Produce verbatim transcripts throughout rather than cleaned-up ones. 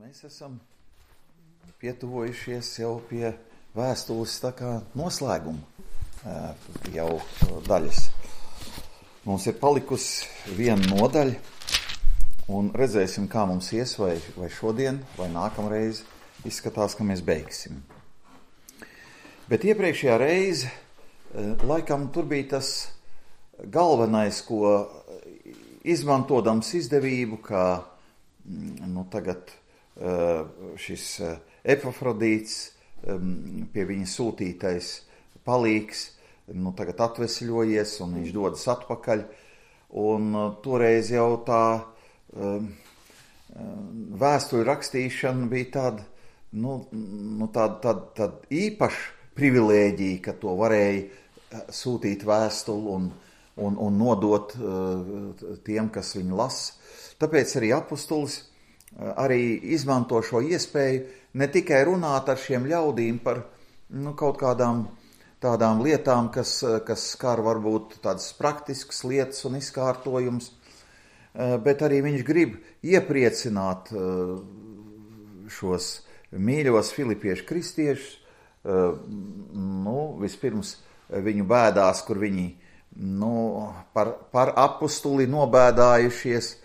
Mēs esam pietuvojušies jau pie vēstules tā kā noslēguma jau daļas. Mums ir palikusi viena nodaļa, un redzēsim, kā mums ies, vai, vai šodien, vai nākamreiz izskatās, ka mēs beigsim. Bet iepriekšējā reize, laikam, tur bija tas galvenais, ko izmantodams izdevību, kā nu, tagad šis Epafrodīts, pie viņa sūtītais palīgs, nu, tagad atvesļojies un viņš dodas atpakaļ. Un toreiz jau tā vēstuļu rakstīšana bija tāda, nu, nu, tāda, tāda, tāda īpaša privilēģija, ka to varēja sūtīt vēstuli un, un, un nodot tiem, kas viņu lasa. Tāpēc arī apustulis arī izmanto šo iespēju ne tikai runāt ar šiem ļaudīm par nu, kaut kādām tādām lietām, kas, kas skar varbūt tādas praktiskas lietas un izkārtojums, bet arī viņš grib iepriecināt šos mīļos filipiešu kristiešus, nu, vispirms viņu bēdās, kur viņi nu, par, par apustuli nobēdājušies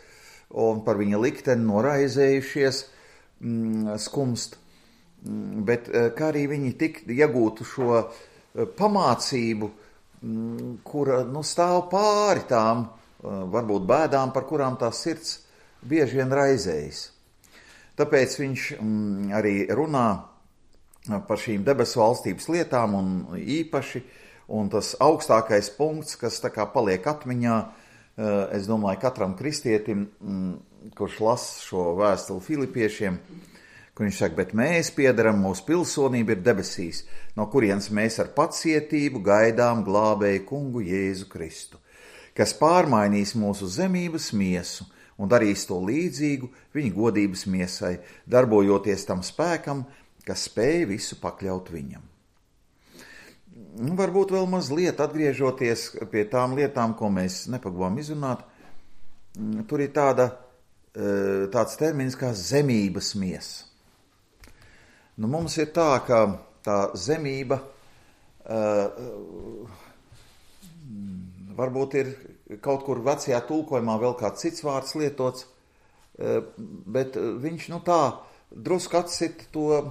un par viņa likteni noraizējušies, mm, skumst, mm, bet kā arī viņi tik iegūtu šo pamācību, mm, kura nu, stāv pāri tām, varbūt bēdām, par kurām tā sirds bieži vien raizējas. Tāpēc viņš mm, arī runā par šīm debesu valstības lietām un īpaši, un tas augstākais punkts, kas tā kā paliek atmiņā, es domāju, katram kristietim, kurš lasa šo vēstuli filipiešiem, kur viņš saka, bet mēs piedaram, mūsu pilsonība ir debesīs, no kurienes mēs ar pacietību gaidām glābēju kungu Jēzu Kristu, kas pārmainīs mūsu zemības miesu un darīs to līdzīgu viņa godības miesai, darbojoties tam spēkam, kas spēj visu pakļaut viņam. Varbūt vēl mazliet atgriežoties pie tām lietām, ko mēs nepagavām izrunāt, tur ir tāda, tāds termins kā zemības miesa. Nu, mums ir tā, ka tā zemība varbūt ir kaut kur vecajā tulkojumā vēl kāds cits vārds lietots, bet viņš nu tā drusku atsit to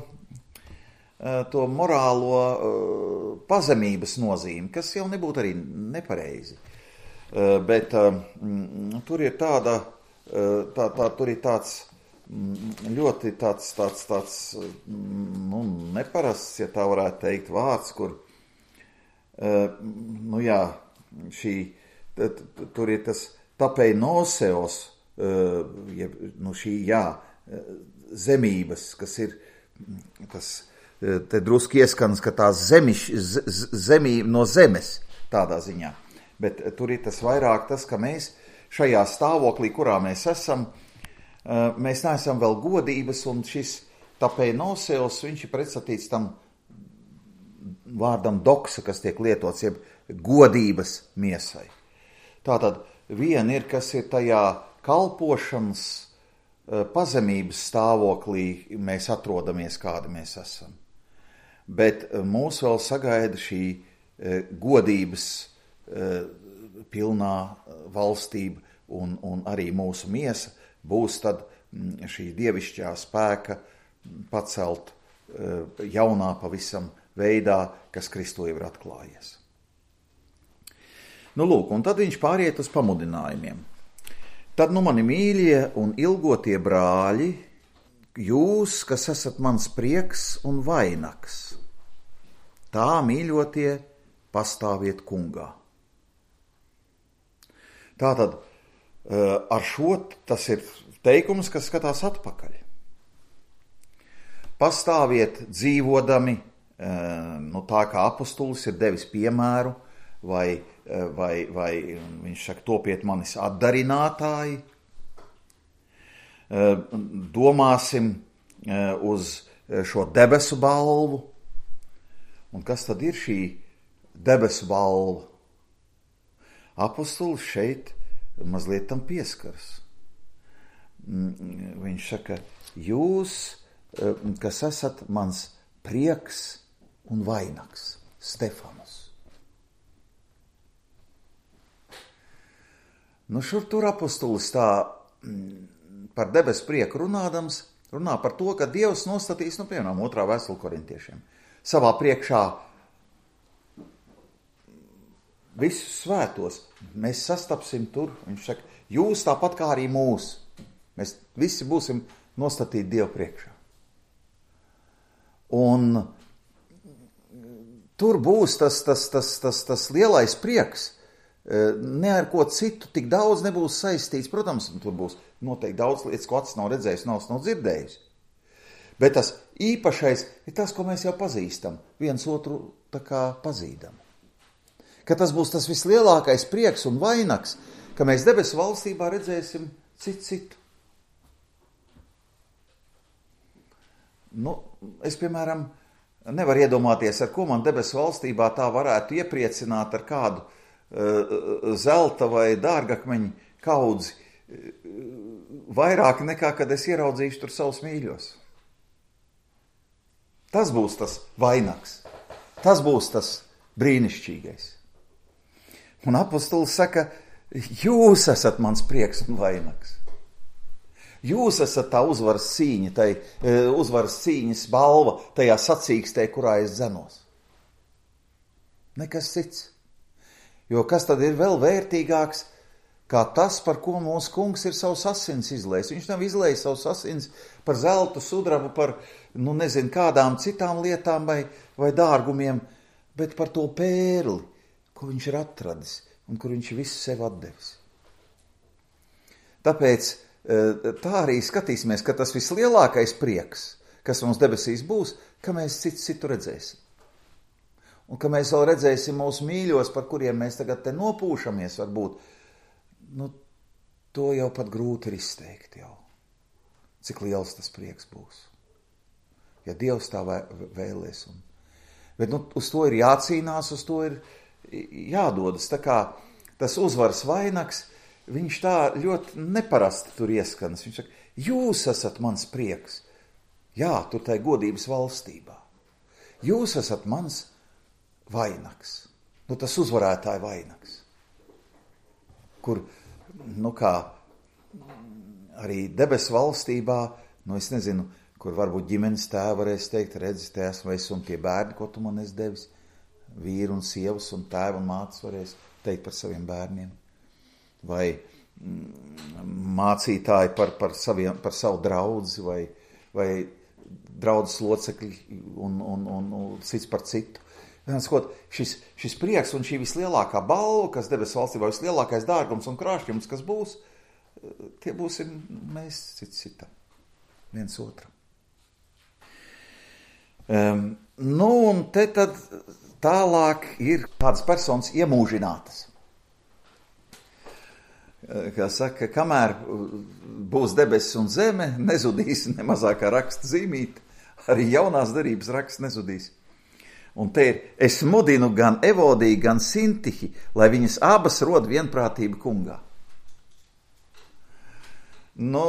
to morālo uh, pazemības nozīmi, kas jau nebūtu arī nepareizi. Uh, bet uh, mm, tur ir tāda, uh, tā, tā, tur ir tāds mm, ļoti tāds, tāds, tāds mm, nu, neparasts, ja tā varētu teikt, vārds, kur, uh, nu jā, šī, t, t, tur ir tas tapeinosēos, uh, ja, nu šī, jā, zemības, kas ir tas, te druski ieskans, ka tās zemiš, z, zemība no zemes tādā ziņā. Bet tur ir tas vairāk tas, ka mēs šajā stāvoklī, kurā mēs esam, mēs neesam vēl godības, un šis tapeinosēos, viņš ir pretstatīts tam vārdam doksa, kas tiek lietots, jeb godības miesai. Tātad viena ir, kas ir tajā kalpošanas pazemības stāvoklī, mēs atrodamies, kādi mēs esam. Bet mūs vēl sagaida šī godības pilnā valstība un, un arī mūsu miesa būs tad šī dievišķā spēka pacelt jaunā pavisam veidā, kas Kristū jau ir atklājies. Nu lūk, un tad viņš pāriet uz pamudinājumiem. Tad nu mani mīļie un ilgotie brāļi, jūs, kas esat mans prieks un vainags, tā mīļotie pastāviet kungā. Tātad ar šo tas ir teikums, kas skatās atpakaļ. Pastāviet dzīvodami, nu tā kā apustulis ir devis piemēru, vai, vai, vai viņš saka, topiet manis atdarinātāji, domāsim uz šo debesu balvu. Un kas tad ir šī debesu balva? Apustulis šeit mazliet tam pieskaras. Viņš saka, jūs, kas esat mans prieks un vainags, Stefanus. Nu, šur tur apostolis tā par debesu prieku runādams, runā par to, ka Dievs nostatīs, nu, piemēram, otrā vēstule korintiešiem, savā priekšā visus svētos. Mēs sastapsim tur, viņš saka, jūs tāpat kā arī mūs. Mēs visi būsim nostatīti Dievu priekšā. Un tur būs tas, tas, tas, tas, tas lielais prieks. Ne ar ko citu tik daudz nebūs saistīts. Protams, tur būs noteikti daudz lietas, ko acis nav redzējis, nav, nav dzirdējis. Bet tas īpašais ir tas, ko mēs jau pazīstam. Viens otru tā kā pazīdam. Ka tas būs tas vislielākais prieks un vainags, ka mēs debesu valstībā redzēsim citu citu. Nu, es, piemēram, nevaru iedomāties, ar ko man debesu valstībā tā varētu iepriecināt ar kādu uh, zelta vai dārgakmeņu kaudzi, uh, vairāk nekā, kad es ieraudzīšu tur savus mīļos. Tas būs tas vainags. Tas būs tas brīnišķīgais. Un apostols saka, jūs esat mans prieks un vainags. Jūs esat tā uzvaras cīņa, tai uzvaras cīņas balva tajā sacīkstē, kurā es dzenos. Nekas cits. Jo kas tad ir vēl vērtīgāks, kā tas, par ko mūsu kungs ir savus asins izlējis. Viņš nav izlējis savus asins par zeltu, sudrabu, par, nu nezinu, kādām citām lietām vai, vai dārgumiem, bet par to pērli, ko viņš ir atradis un kur viņš visu sev atdevis. Tāpēc tā arī skatīsimies, ka tas vislielākais prieks, kas mums debesīs būs, ka mēs citu citu redzēsim. Un ka mēs vēl redzēsim mūsu mīļos, par kuriem mēs tagad te nopūšamies varbūt, nu, to jau pat grūti ir izteikt jau. Cik liels tas prieks būs. Ja Dievs tā vēlēs. Un... Bet nu, uz to ir jācīnās, uz to ir jādodas. Tā kā tas uzvaras vainags, viņš tā ļoti neparasti tur ieskanas. Viņš saka, jūs esat mans prieks. Jā, tur tai godības valstībā. Jūs esat mans vainags. Nu, tas uzvarētāja vainags. Kur, nu kā, arī debesu valstībā, nu es nezinu, kur varbūt ģimenes tēva varēs teikt, redzi, te esmu es un tie bērni, ko tu man esi devis. Vīru un sievas un tēva un mātes varēs teikt par saviem bērniem. Vai mācītāji par, par, saviem, par savu draudzi, vai, vai draudzes locekļi un, un, un, un cits par citu. Skot, šis, šis prieks un šī vislielākā balva, kas debesu valstībā, vislielākais dārgums un krāšņums, kas būs, tie būsim mēs cits citam, viens otram. Um, nu, un te tad tālāk ir kādas personas iemūžinātas. Kā saka, kamēr būs debesis un zeme, nezudīs ne mazākā raksta zīmīte, arī jaunās derības raksts nezudīs. Un te ir, es mudinu gan Evodiju, gan Sintihi, lai viņas abas rod vienprātību kungā. Nu,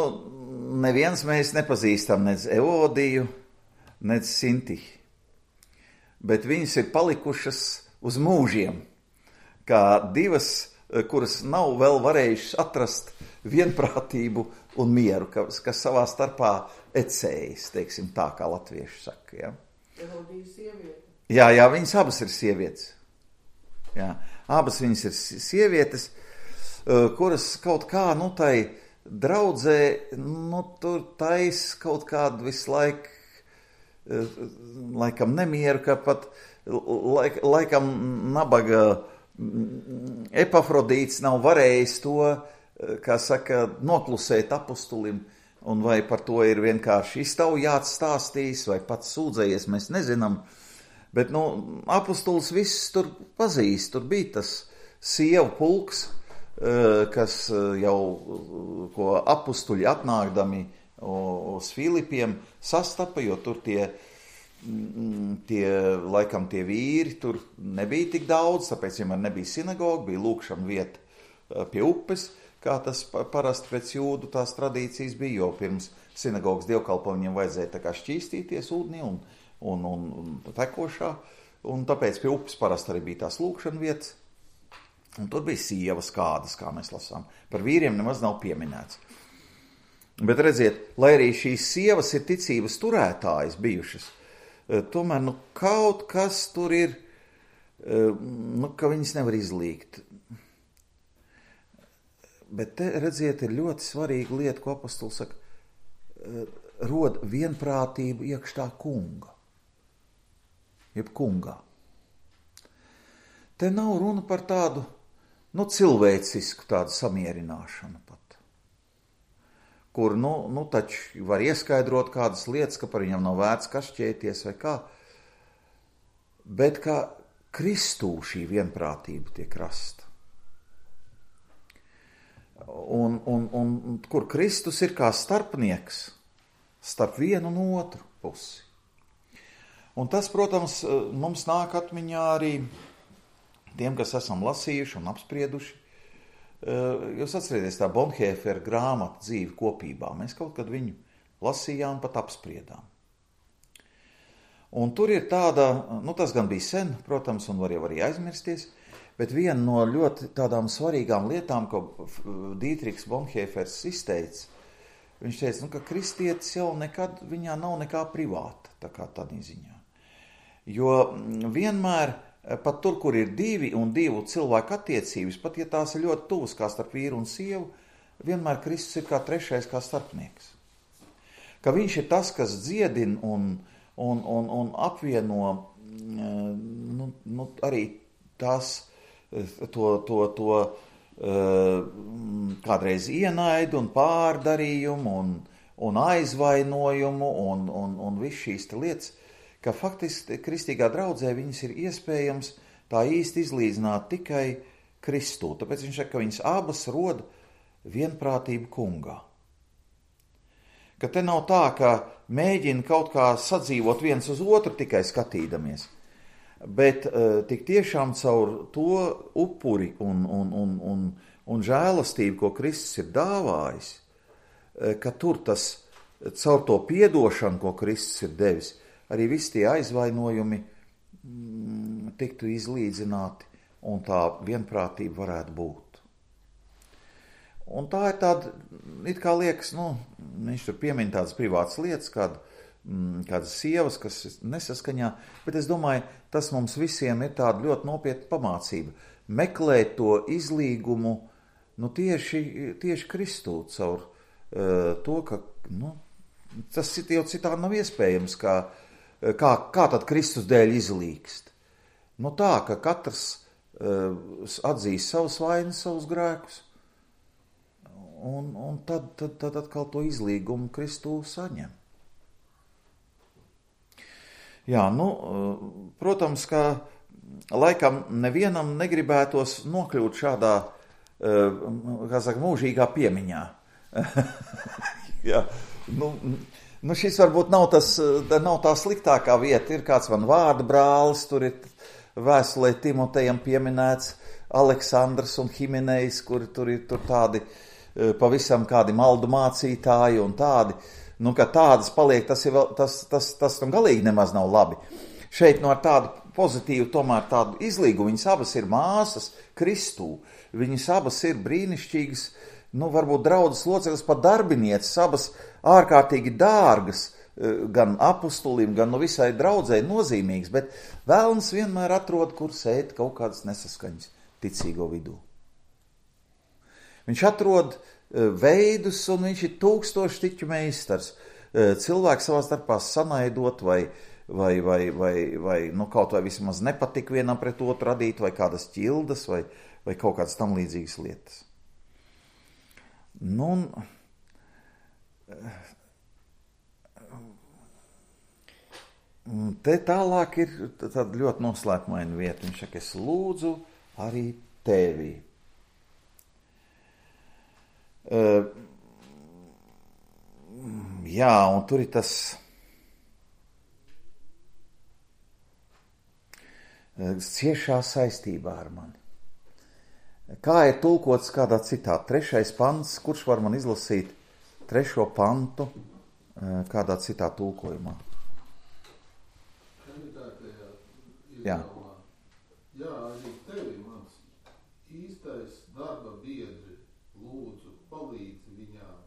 neviens mēs nepazīstam nec Evodiju, nec Sintihi. Bet viņas ir palikušas uz mūžiem, kā divas, kuras nav vēl varējušas atrast vienprātību un mieru, kas, kas savā starpā ecējas, teiksim tā, kā latvieši saka. Ja? Jā, jā, viņas abas ir sievietes. Jā, abas viņas ir sievietes, kuras kaut kā, nu, tai draudzē, nu, tur tais kaut kādu visu laiku, laikam nemieru, ka pat laik, laikam nabaga Epafrodīts nav varējis to, kā saka, noklusēt apostulim, un vai par to ir vienkārši iztaujāts stāstījis, vai pats sūdzējies, mēs nezinām. Bet, nu, apostulis viss tur pazīst, tur bija tas sievu pulks, kas jau, ko apustuļi atnākdami uz Filipiem sastapa, jo tur tie, tie, laikam tie vīri tur nebija tik daudz, tāpēc vienmēr nebija sinagoga, bija lūkšana vieta pie upes, kā tas parasti pēc jūdu tās tradīcijas bija, jo pirms sinagogas dievkalpojumiem vajadzēja tā kā šķīstīties ūdenī un, un, un, un tekošā, un tāpēc pie upes parasti arī bija tās lūkšana vietas. Un tur bija sievas kādas, kā mēs lasām. Par vīriem nemaz nav pieminēts. Bet redziet, lai arī šīs sievas ir ticības turētājas bijušas, tomēr nu, kaut kas tur ir, nu, ka viņas nevar izlīgt. Bet te, redziet, ir ļoti svarīga lieta, ko apostols saka, rod vienprātību iekšā kunga, jeb kungā. Te nav runa par tādu, nu, cilvēcisku tādu samierināšanu pat, kur, nu, nu, taču var ieskaidrot kādas lietas, ka par viņam nav vērts kašķēties vai kā, bet kā Kristū šī vienprātība tiek rasta. Un, un, un kur Kristus ir kā starpnieks starp vienu un otru pusi. Un tas, protams, mums nāk atmiņā arī tiem, kas esam lasījuši un apsprieduši. Jūs atcerieties tā Bonhoeffera grāmata Dzīve kopībā. Mēs kaut kad viņu lasījām, pat apspriedām. Un tur ir tāda, nu tas gan bija sen, protams, un var jau arī aizmirsties, bet viena no ļoti tādām svarīgām lietām, ko Dītriks Bonhoeffers izteica, viņš teica, nu, ka kristietis jau nekad, viņā nav nekā privāta, tā kā tādā ziņā. Jo vienmēr, pat tur, kur ir divi un divu cilvēku attiecības, pat ja tās ir ļoti tuvas kā starp vīru un sievu, vienmēr Kristus ir kā trešais, kā starpnieks. Ka viņš ir tas, kas dziedina un, un, un, un apvieno nu, nu, arī tās, to, to, to kādreiz ienaidu un pārdarījumu un, un aizvainojumu un, un, un viss šīs lietas, ka faktiski kristīgā draudzē viņas ir iespējams tā īsti izlīdzināt tikai Kristū. Tāpēc viņš saka, ka viņas abas rod vienprātību kungā. Ka te nav tā, ka mēģina kaut kā sadzīvot viens uz otru tikai skatīdamies, bet uh, tik tiešām caur to upuri un, un, un, un, un žēlastību, ko Kristus ir dāvājis, uh, ka tur tas caur to piedošanu, ko Kristus ir devis, arī visi tie aizvainojumi mm, tiktu izlīdzināti un tā vienprātība varētu būt. Un tā ir tāda, it kā liekas, nu, viņš tur piemin tādas privātas lietas, kāda, mm, kādas sievas, kas nesaskaņā, bet es domāju, tas mums visiem ir tāda ļoti nopietna pamācība. Meklēt to izlīgumu, nu, tieši, tieši Kristū caur uh, to, ka, nu, tas jau citādi nav iespējams, kā Kā, kā tad Kristus dēļ izlīgst? Nu tā, ka katrs uh, atzīst savus vainas, savus grēkus, un, un tad, tad, tad atkal to izlīgumu Kristū saņem. Jā, nu, uh, protams, ka laikam nevienam negribētos nokļūt šādā, uh, kā saka, mūžīgā piemiņā. Jā, nu... Nu, šis varbūt nav, tas, nav tā sliktākā vieta. Ir kāds man vārda brālis, tur ir vēstulē Timotejam pieminēts Aleksandrs un Himenejs, kuri tur ir tur tādi pavisam kādi maldu mācītāji un tādi. Nu, ka tādas paliek, tas, ir, tas, tas, tas nu galīgi nemaz nav labi. Šeit no ar tādu pozitīvu, tomēr tādu izlīgu, viņas abas ir māsas Kristū, viņas abas ir brīnišķīgas, nu, varbūt draudzes loceklis, pat darbinieces, abas ārkārtīgi dārgas, gan apustulim, gan no visai draudzei nozīmīgas, bet vēlns vienmēr atrod, kur sēt kaut kādas nesaskaņas ticīgo vidū. Viņš atrod veidus, un viņš ir tūkstošu tiķu meistars. Cilvēki savā starpā sanaidot vai, vai, vai, vai, vai nu, kaut vai vismaz nepatik vienam pret otru radīt, vai kādas ķildas, vai, vai kaut kādas tam līdzīgas lietas. Nu, te tālāk ir tāda ļoti noslēpumaina vieta. Viņš saka, es lūdzu arī tevi. Uh, jā, un tur ir tas ciešā saistībā ar mani. Kā ir tulkots kādā citā? Trešais pants, kurš var man izlasīt trešo pantu? kādā citā tulkojumā. Jā. Jā, arī tevi mans īstais darba biedri lūdzu palīdzi viņām,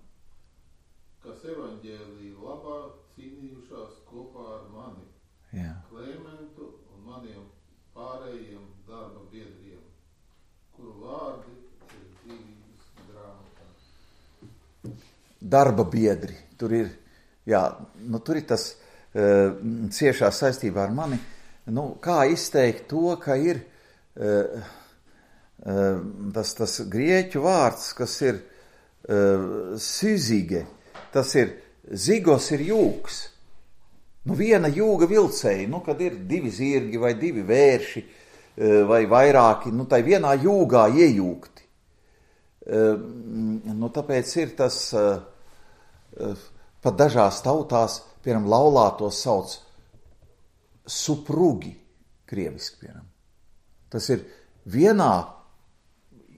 kas evaņģēlija labā cīnījušās kopā ar mani, Jā. Klementu un maniem pārējiem darba biedriem, kuru vārdi ir dzīvības grāmatā. Darba biedri, tur ir, jā, nu tur ir tas uh, ciešā saistībā ar mani, nu kā izteikt to, ka ir uh, uh, tas, tas grieķu vārds, kas ir uh, sizige, tas ir, zigos ir jūgs, nu viena jūga vilcēja, nu kad ir divi zirgi vai divi vērši uh, vai vairāki, nu tai vienā jūgā iejūgti. Uh, nu tāpēc ir tas... Uh, Pat dažās tautās, piemēram, laulātos sauc suprugi, krieviski, piemēram. Tas ir vienā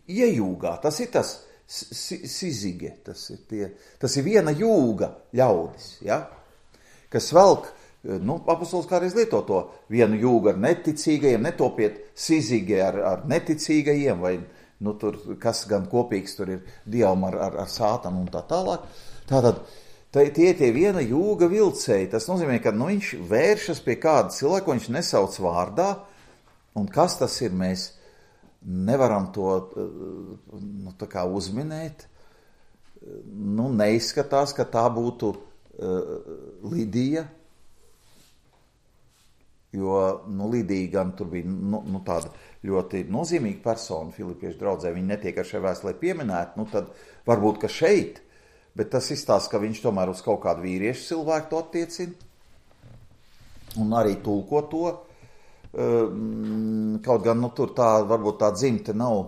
iejūgā, tas ir tas sizige, tas ir, tie, tas ir viena jūga ļaudis, ja? Kas velk, nu, apostols kādreiz lieto to vienu jūgu ar neticīgajiem, netopiet sizige ar, ar neticīgajiem, vai, nu, tur, kas gan kopīgs tur ir dievam ar, ar, ar sātanu un tā tālāk. Tātad tie tie viena jūga vilcēji, tas nozīmē, ka nu, viņš vēršas pie kāda cilvēka, viņš nesauc vārdā, un kas tas ir, mēs nevaram to nu, tā kā uzminēt. Nu, neizskatās, ka tā būtu uh, Lidija, jo nu, Lidija gan tur bija nu, nu, tāda ļoti nozīmīga persona Filipiešu draudzē, viņa netiek ar šai vēstulē pieminēta, nu tad varbūt, ka šeit, bet tas izstāsta, ka viņš tomēr uz kaut kādu vīriešu cilvēku to attiecina. Un arī tulko to. Kaut gan, nu, tur tā, varbūt tā dzimte nav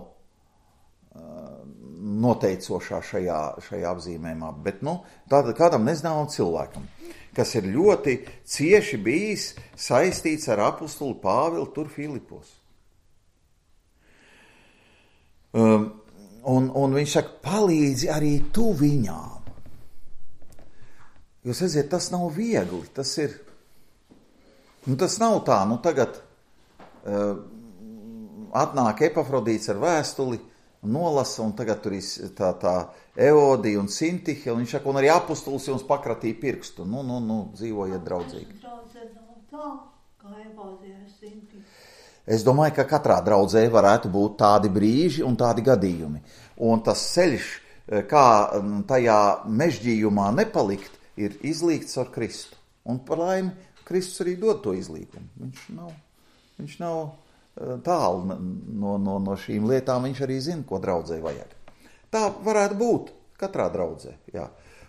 noteicošā šajā, šajā apzīmējumā. Bet, nu, tātad kādam nezināmam cilvēkam, kas ir ļoti cieši bijis saistīts ar apostuli Pāvilu tur Filipos. Um, un, un viņš saka, palīdzi arī tu viņām. Jūs redziet, tas nav viegli, tas ir, nu tas nav tā, nu tagad uh, atnāk Epafrodīts ar vēstuli, nolasa, un tagad tur ir tā, tā Eodija un Sintihe, un viņš saka, un arī apostols jums pakratīja pirkstu, nu, nu, nu, dzīvojiet draudzīgi. Es domāju, ka katrā draudzē varētu būt tādi brīži un tādi gadījumi, un tas ceļš, kā tajā mežģījumā nepalikt, ir izlīgts ar Kristu. Un par laimi, Kristus arī dod to izlīgumu. Viņš nav, viņš nav tālu no, no, no šīm lietām, viņš arī zina, ko draudzē vajag. Tā varētu būt katrā draudzē, jā.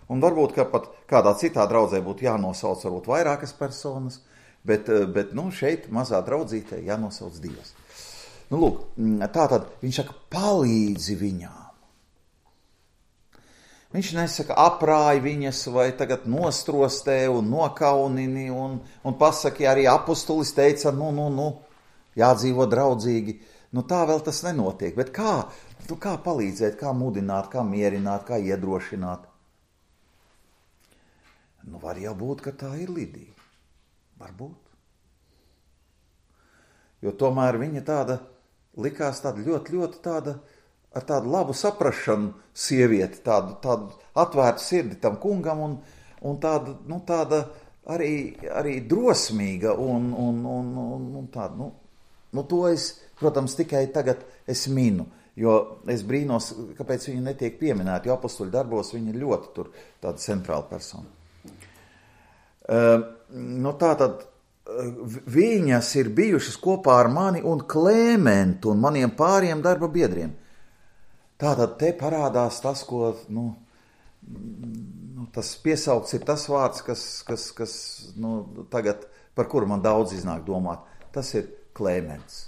Un varbūt, ka pat kādā citā draudzē būtu jānosauc varbūt vairākas personas, bet, bet nu, šeit mazā draudzītē jānosauc divas. Nu, lūk, tātad viņš saka, palīdzi viņām. Viņš nesaka, aprāj viņas vai tagad nostrostē un nokaunini un, un pasaki, arī apostolis teica, nu, nu, nu, jādzīvo draudzīgi. Nu, tā vēl tas nenotiek. Bet kā, nu, kā palīdzēt, kā mudināt, kā mierināt, kā iedrošināt? Nu, var jau būt, ka tā ir Lidija. Varbūt. Jo tomēr viņa tāda likās tāda ļoti, ļoti tāda, ar tādu labu saprašanu sievieti, tādu, tādu atvērtu sirdi tam kungam un, un tāda, nu, tāda arī, arī drosmīga un, un, un, un, un tāda, nu, nu, to es, protams, tikai tagad es minu, jo es brīnos, kāpēc viņa netiek pieminēta, jo apostoļu darbos viņa ir ļoti tur tāda centrāla persona. Uh, nu, tātad viņas ir bijušas kopā ar mani un Klementu un maniem pāriem darba biedriem. Tātad te parādās tas, ko, nu, nu tas piesaukts ir tas vārds, kas, kas, kas nu, tagad, par kuru man daudz iznāk domāt. Tas ir Klemens.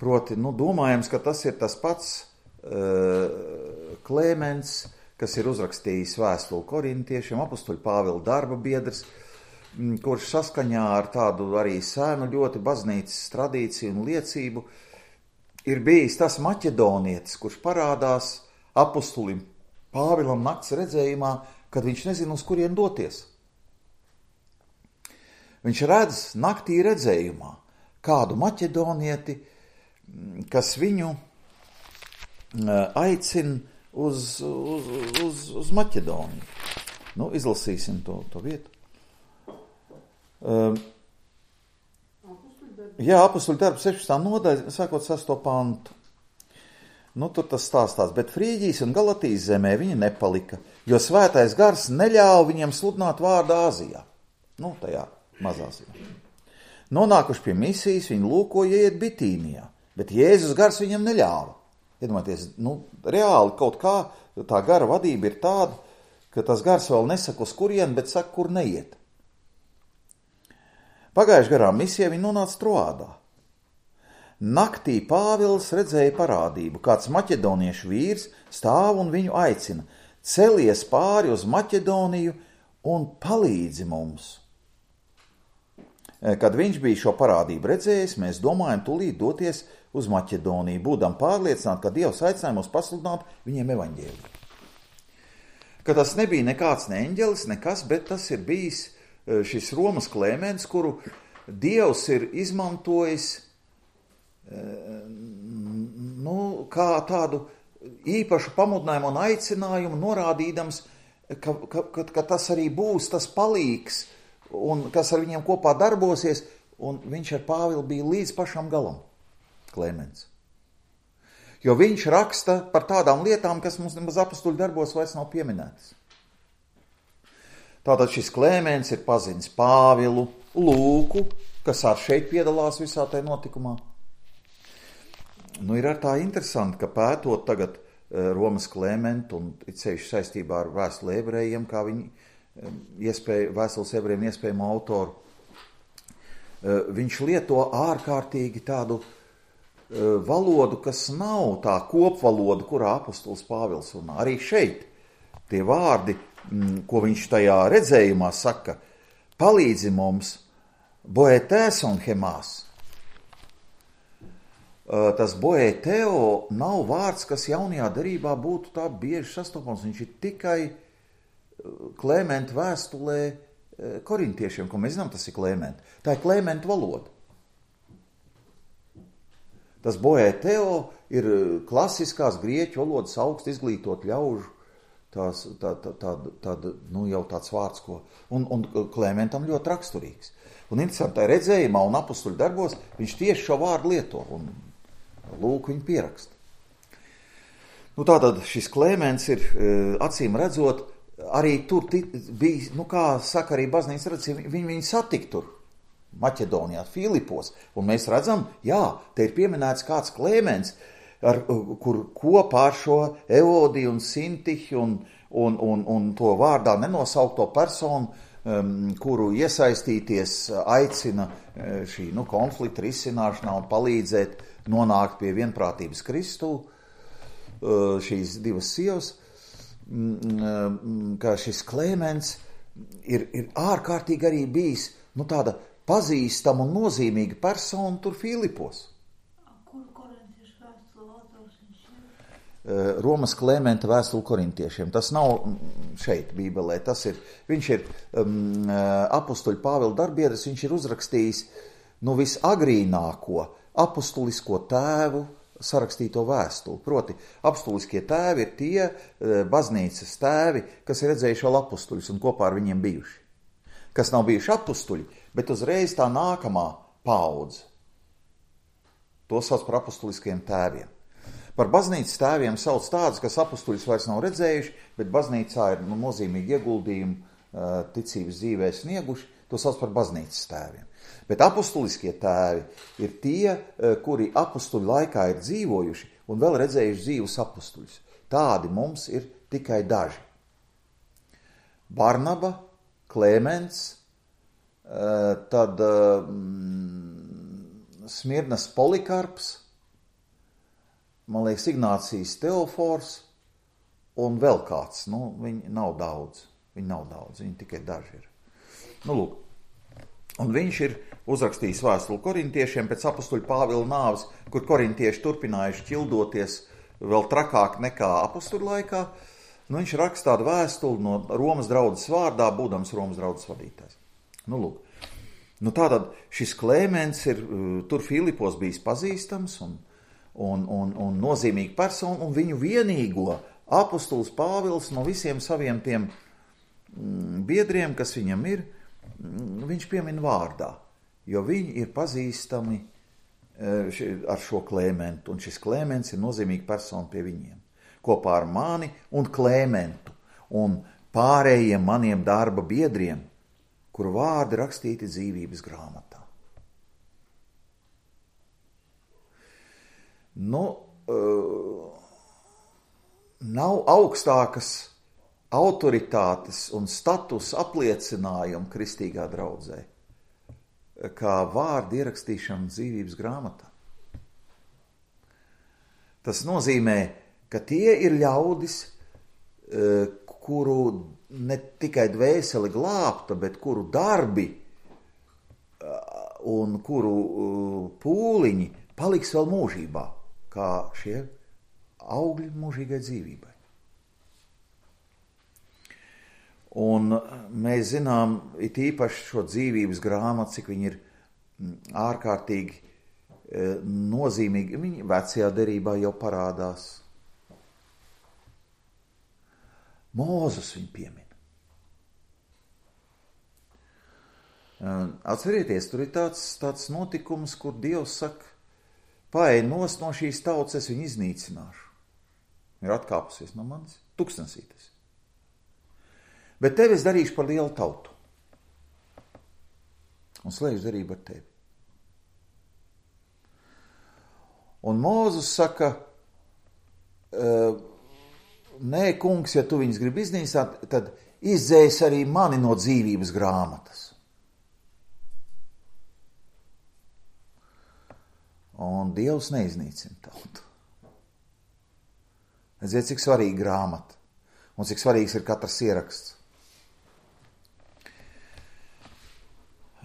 Proti, nu, domājams, ka tas ir tas pats uh, Klemens, kas ir uzrakstījis vēstuli korintiešiem, apostoļu Pāvila darba biedrs, kurš saskaņā ar tādu arī sēnu ļoti baznīcas tradīciju un liecību ir bijis tas maķedonietis, kurš parādās apostolim Pāvilam nakts redzējumā kad viņš nezina, uz kurien doties. Viņš redz naktī redzējumā kādu maķedonieti, kas viņu aicina uz, uz, uz, uz Maķedoniju. Nu, izlasīsim to, to vietu. Um, jā, Apostuļu darbu sešpadsmitā nodaļa, sākot sesto pantu. Nu, tur tas stāstās, bet Frīģijas un Galatijas zemē viņa nepalika, jo svētais gars neļāva viņiem sludināt vārdu Āzijā. Nu, tajā mazāsijā. Nonākuši pie misijas, viņi lūkoja iet Bitīnijā, bet Jēzus gars viņam neļāva. Iedomājieties, nu, reāli kaut kā tā gara vadība ir tāda, ka tas gars vēl nesaka uz kurien, bet saka, kur neiet. Pagājuši garām misijā viņi nonāca Troādā. Naktī Pāvils redzēja parādību, kāds maķedoniešu vīrs stāv un viņu aicina, celies pāri uz Maķedoniju un palīdzi mums. Kad viņš bija šo parādību redzējis, mēs domājam tūlīt doties uz Maķedoniju, būdam pārliecināti, ka Dievs aicināja mūs pasludināt viņiem evaņģēliju. Ka tas nebija nekāds ne eņģelis, nekas, bet tas ir bijis šis Romas Klemens, kuru Dievs ir izmantojis nu, kā tādu īpašu pamudinājumu un aicinājumu, norādīdams, ka, ka, ka, ka tas arī būs tas palīgs, un kas ar viņiem kopā darbosies, un viņš ar Pāvilu bija līdz pašam galam, Klemens. Jo viņš raksta par tādām lietām, kas mums nemaz apostuļu darbos vairs nav pieminētas. Tātad šis Klemens ir pazinis Pāvilu, Lūku, kas ar šeit piedalās visā tajā notikumā. Nu, ir ar tā interesanti, ka pētot tagad Romas Klementu un ceļš saistībā ar vēstuli ebrejiem, kā viņi iespēja, vēstules ebrejiem iespējamo autoru, viņš lieto ārkārtīgi tādu valodu, kas nav tā kopvaloda, kurā apostols Pāvils runā. Arī šeit tie vārdi, ko viņš tajā redzējumā saka, palīdzi mums, boetēs un hemās. Tas boeteo nav vārds, kas jaunajā derībā būtu tā bieži sastopams. Viņš ir tikai Klementa vēstulē korintiešiem, ko mēs zinām, tas ir Klementa. Tā ir Klementa valoda. Tas boeteo ir klasiskās grieķu valodas augst izglītot ļaužu, tās, tā, tā, tā, tā, nu jau tāds vārds, ko, un, un Klementam ļoti raksturīgs. Un interesantai redzējumā un apostuļu darbos viņš tieši šo vārdu lieto, un Lūk viņu pieraksta. Nu tātad šis Klemens ir, acīm redzot, arī tur bija, nu kā saka arī baznīcas redzījumi, viņi viņu satik tur. Maķedonijā, Filipos, un mēs redzam, jā, te ir pieminēts kāds Klemens, ar, kur kopā ar šo Evodiju un Sintihi un, un, un, un to vārdā nenosaukto personu, um, kuru iesaistīties aicina šī nu, konflikta risināšanā un palīdzēt nonākt pie vienprātības Kristu, uh, šīs divas sievas, um, ka šis Klemens ir, ir ārkārtīgi arī bijis, nu tāda pazīstama un nozīmīga persona tur Filipos. Kur korintiešu vēstule autors viņš ir? Romas Klementa vēstule korintiešiem. Tas nav šeit Bībelē. Tas ir, viņš ir um, apostuļu Pāvila darbiedrs, viņš ir uzrakstījis nu, visagrīnāko apostulisko tēvu sarakstīto vēstuli. Proti, apostuliskie tēvi ir tie baznīcas tēvi, kas ir redzējuši vēl apostuļus un kopā ar viņiem bijuši. Kas nav bijuši apostuļi, bet uzreiz tā nākamā paudze. To sauc par apostuliskiem tēviem. Par baznīcas tēviem sauc tādus, kas apostuļus vairs nav redzējuši, bet baznīcā ir nu, nozīmīgi ieguldījumi uh, ticības dzīvē snieguši, to sauc par baznīcas tēviem. Bet apostuliskie tēvi ir tie, uh, kuri apostuļu laikā ir dzīvojuši un vēl redzējuši dzīvus apostuļus. Tādi mums ir tikai daži. Barnaba, Klemens, uh, tad uh, Smirnas Polikarps, man liekas, Ignācijas Teofors un vēl kāds. Nu, viņi nav daudz. Viņi nav daudz, viņi tikai daži ir. Nu, lūk. Un viņš ir uzrakstījis vēstuli korintiešiem pēc apostuļa Pāvila nāves, kur korintieši turpinājuši ķildoties vēl trakāk nekā apostuļu laikā. nu, viņš raksta tādu vēstuli no Romas draudzes vārdā, būdams Romas draudzes vadītājs. Nu, lūk. Nu, tātad šis Klemens ir tur Filipos bijis pazīstams un, un, un, un nozīmīga persona, un viņu vienīgo apostols Pāvils no visiem saviem tiem biedriem, kas viņam ir, viņš piemin vārdā, jo viņi ir pazīstami ar šo Klementu, un šis Klemens ir nozīmīga persona pie viņiem, kopā ar mani un Klementu, un pārējiem maniem darba biedriem, kuru vārdi rakstīti dzīvības grāmatā. Nu, uh, nav augstākas autoritātes un status apliecinājumu kristīgā draudzē, kā vārdu ierakstīšana dzīvības grāmatā. Tas nozīmē, ka tie ir ļaudis, kuru ne tikai dvēseli glābta, bet kuru darbi un kuru pūliņi paliks vēl mūžībā, kā šie augļi mūžīgai dzīvībai. Un mēs zinām, it īpaši šo dzīvības grāmatu, cik viņi ir ārkārtīgi nozīmīgi. Viņi vecajā derībā jau parādās. Mūzus viņu piemin. Atcerieties, tur ir tāds, tāds notikums, kur Dievs saka, paej nost no šīs tautas, es viņu iznīcināšu. Ir atkāpusies no manis, tuksnesītes. Bet tevi es darīšu par lielu tautu. Un slēgšu darību ar tevi. Un Mūzus saka, nē, kungs, ja tu viņus gribi iznīcināt, tad izdzēs arī mani no dzīvības grāmatas. Un Dievs neiznīcina tautu. Redziet, cik svarīga grāmata un cik svarīgs ir katrs ieraksts.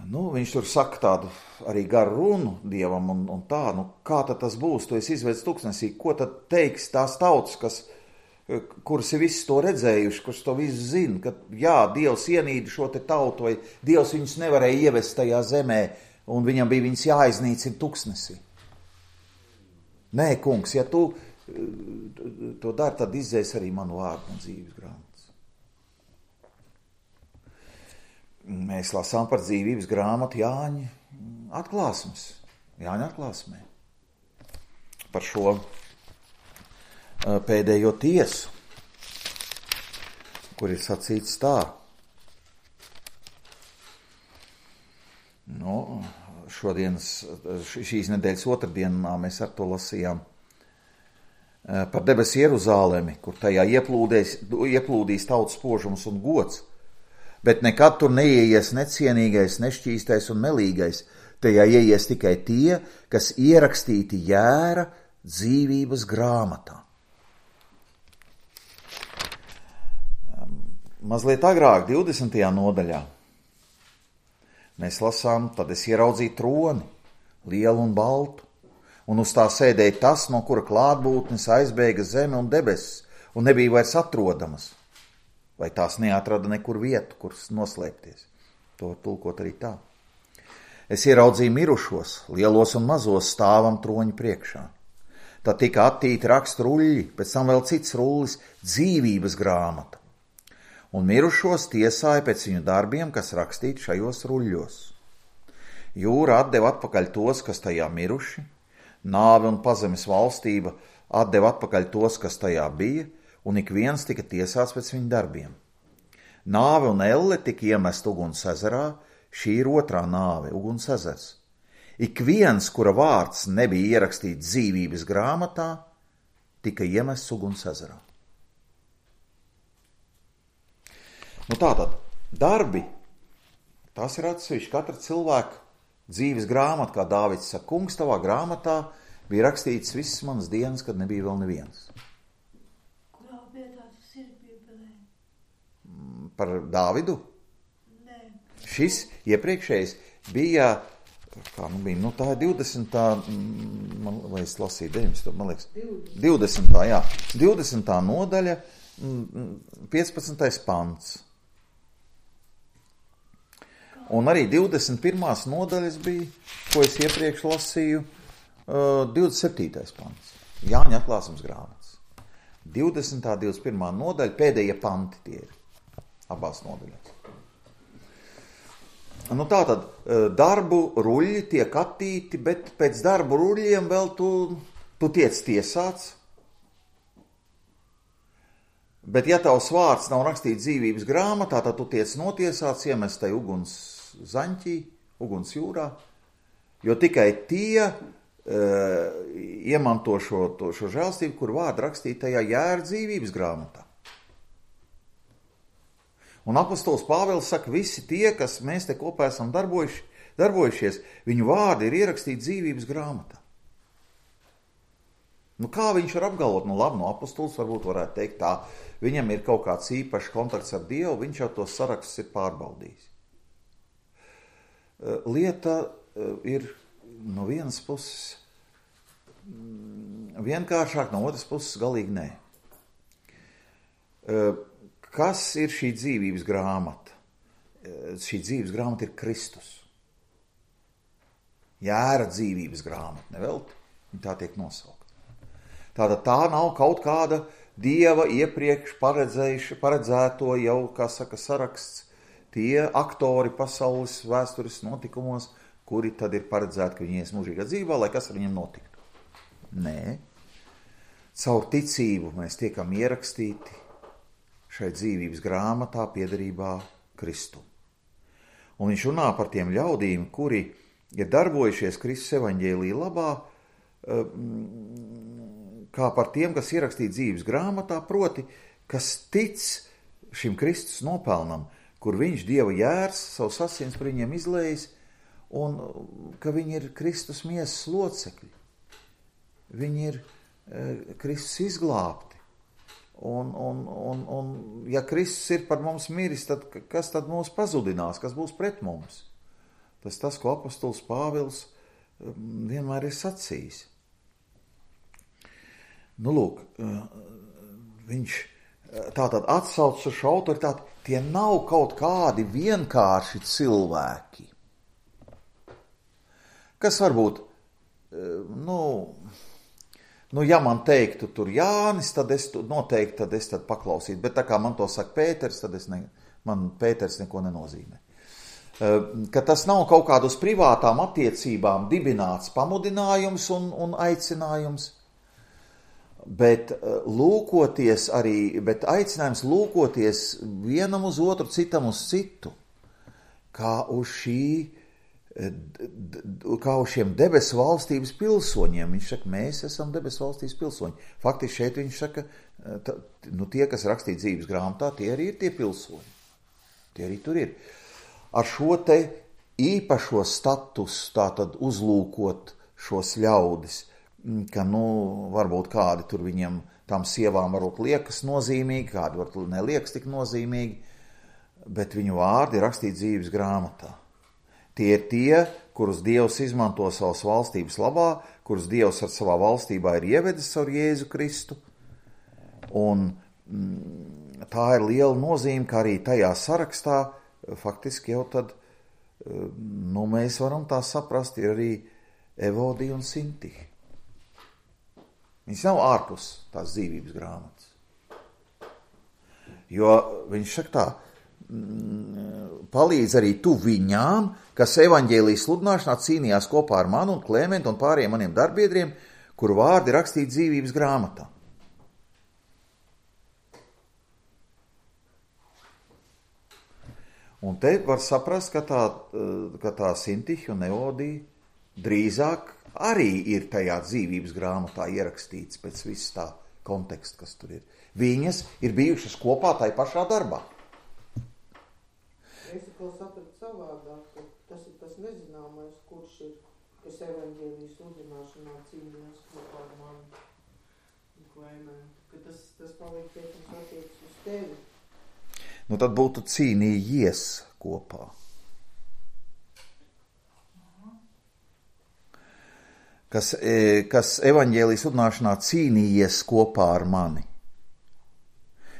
Nu, viņš tur saka tādu arī garu runu Dievam un, un tā, nu kā tad tas būs, tu esi izvedis tuksnesī, ko tad teiks tās tautas, kas, kuras ir visu to redzējuši, kuras to visu zina, ka jā, Dievs ienīda šo te tautu, vai Dievs viņus nevarēja ievest tajā zemē, un viņam bija viņus jāiznīcina tuksnesī. Nē, kungs, ja tu to dari, tad izdzēs arī manu vārdu no dzīves grāmatas. Mēs lasām par dzīvības grāmatu Jāņa atklāsmes, Jāņa atklāsmē. Par šo pēdējo tiesu, kur ir sacīts tā. Nu, šodienas, šīs nedēļas otrdienā mēs ar to lasījām par debesu Jeruzālemi, kur tajā ieplūdīs tautas spožums un gods. Bet nekad tur neieies necienīgais, nešķīstais un melīgais. Tajā ieies tikai tie, kas ierakstīti jēra dzīvības grāmatā. Mazliet agrāk, divdesmitajā nodaļā, mēs lasām, tad es ieraudzīju troni, lielu un baltu, un uz tā sēdēja tas, no kura klātbūtnes aizbēga zeme un debesis, un nebija vairs atrodamas. Vai tās neatrada nekur vietu, kur noslēpties. To tulkot arī tā. Es ieraudzīju mirušos, lielos un mazos stāvam troņu priekšā. Tad tika attīti rakstu ruļļi, pēc tam vēl cits rullis, dzīvības grāmata. Un mirušos tiesāja pēc viņu darbiem, kas rakstīti šajos ruļļos. Jūra atdeva atpakaļ tos, kas tajā miruši, nāve un pazemes valstība atdeva atpakaļ tos, kas tajā bija, un ik viens tika tiesāts pēc viņu darbiem. Nāve un elle tika iemest uguns ezerā, šī ir otrā nāve, uguns ezers. Ik viens, kura vārds nebija ierakstīts dzīvības grāmatā, tika iemests uguns ezerā. Nu tātad, darbi, tas ir atsevišķi katra cilvēka dzīves grāmata, kā Dāvids saka, kungs, tavā grāmatā bija rakstīts visas manas dienas, kad nebija vēl neviens. Par Dāvidu? Nē. Šis iepriekšējais bija, kā nu bija, nu tā ir divdesmitā, man, vai es lasīju deviņdesmitā, man liekas, divdesmitā, jā, divdesmitā nodaļa, piecpadsmitais pants. Un arī divdesmit pirmās nodaļas bija, ko es iepriekš lasīju, divdesmit septītais pants. Jāņa atklāsums grāmatas. divdesmitā, divdesmit pirmā nodaļa, pēdējie panti tie ir abās nodaļās. Nu tātad, darbu ruļļi tiek attīti, bet pēc darbu ruļļiem vēl tu, tu tiec tiesāts. Bet ja tavs vārds nav rakstīts dzīvības grāmatā, tad tu tiec notiesāts, iemestai uguns zaņķī, uguns jūrā, jo tikai tie uh, iemanto šo, to, šo žēlstību, kur vārdu rakstīt tajā jēra dzīvības grāmatā. Un apostols Pāvils saka, visi tie, kas mēs te kopā esam darbojuši, darbojušies, viņu vārdi ir ierakstīti dzīvības grāmatā. Nu, kā viņš var apgalvot? Nu, labi, no apostols varbūt varētu teikt tā, viņam ir kaut kāds īpašs kontakts ar Dievu, viņš jau tos sarakstus ir pārbaudījis. Lieta ir no vienas puses vienkāršāk, no otras puses galīgi nē. Kas ir šī dzīvības grāmata? Šī dzīvības grāmata ir Kristus. Jēra dzīvības grāmata, nevelti, tā tiek nosaukta. Tātad tā nav kaut kāda Dieva iepriekš paredzēto jau, kā saka, saraksts, tie aktori pasaules vēstures notikumos, kuri tad ir paredzēti, ka viņi ies mūžīgā dzīvā, lai kas ar viņiem notiktu. Nē, caur ticību mēs tiekam ierakstīti šai dzīvības grāmatā piederībā Kristum. Un viņš runā par tiem ļaudīm, kuri ir darbojušies Kristus evaņģēlija labā, kā par tiem, kas ierakstīja dzīves grāmatā, proti, kas tic šim Kristus nopelnam, kur viņš Dieva jērs, savus asins par viņiem izlējis, un ka viņi ir Kristus miesas locekļi. Viņi ir e, Kristus izglābti. Un, un, un, un ja Kristus ir par mums miris, tad kas tad mūs pazudinās, kas būs pret mums? Tas tas, ko apostols Pāvils vienmēr ir sacījis. Nu, lūk, viņš tātad atsauc uz šo autoritāti, tie nav kaut kādi vienkārši cilvēki. Kas varbūt, nu, nu ja man teiktu tur Jānis, tad es noteikti tad es tad paklausītu, bet tā kā man to saka Pēters, tad es ne, man Pēters neko nenozīmē. Ka tas nav kaut kādu uz privātām attiecībām dibināts pamudinājums un, un aicinājums, bet lūkoties arī, bet aicinājums lūkoties vienam uz otru, citam uz citu, kā uz šī, kā uz šiem debesu valstības pilsoņiem. Viņš saka, mēs esam debesu valstības pilsoņi. Faktiski šeit viņš saka, tā, nu tie, kas rakstīja dzīves grāmatā, tie arī ir tie pilsoņi. Tie arī tur ir. Ar šo te īpašo statusu tātad uzlūkot šos ļaudis, ka, nu, varbūt kādi tur viņiem, tām sievām varbūt liekas nozīmīgi, kādi varbūt neliekas tik nozīmīgi, bet viņu vārdi ir rakstīti dzīves grāmatā. Tie ir tie, kurus Dievs izmanto savas valstības labā, kurus Dievs ar savā valstībā ir ievedis ar Jēzu Kristu, un mm, tā ir liela nozīme, ka arī tajā sarakstā faktiski jau tad, nu, mēs varam tā saprast, ir arī Evodija un Sintiha. Viņš nav ārpus tās dzīvības grāmatas. Jo viņš saka tā, palīdz arī tu viņām, kas evaņģēlijas sludināšanā cīnījās kopā ar mani un Klēmentu un pārējiem maniem darbiedriem, kuru vārdi rakstīti dzīvības grāmatā. Un te var saprast, ka tā, ka tā Sintiha un Evodija drīzāk arī ir tajā dzīvības grāmatā ierakstīts pēc viss tā konteksta, kas tur ir. Viņas ir bijušas kopā tai pašā darbā. Es atkal sapratu savādāk, ka tas ir tas nezināmais, kurš ir, kas evaņģēlijas sludināšanā cīnījās kopā ar mani un Klēmentu, ka tas, tas paliek tiekums attiecas uz tevi. Nu tad būtu cīnījies kopā. Kas, kas evaņģēlijas sludināšanā cīnījies kopā ar mani.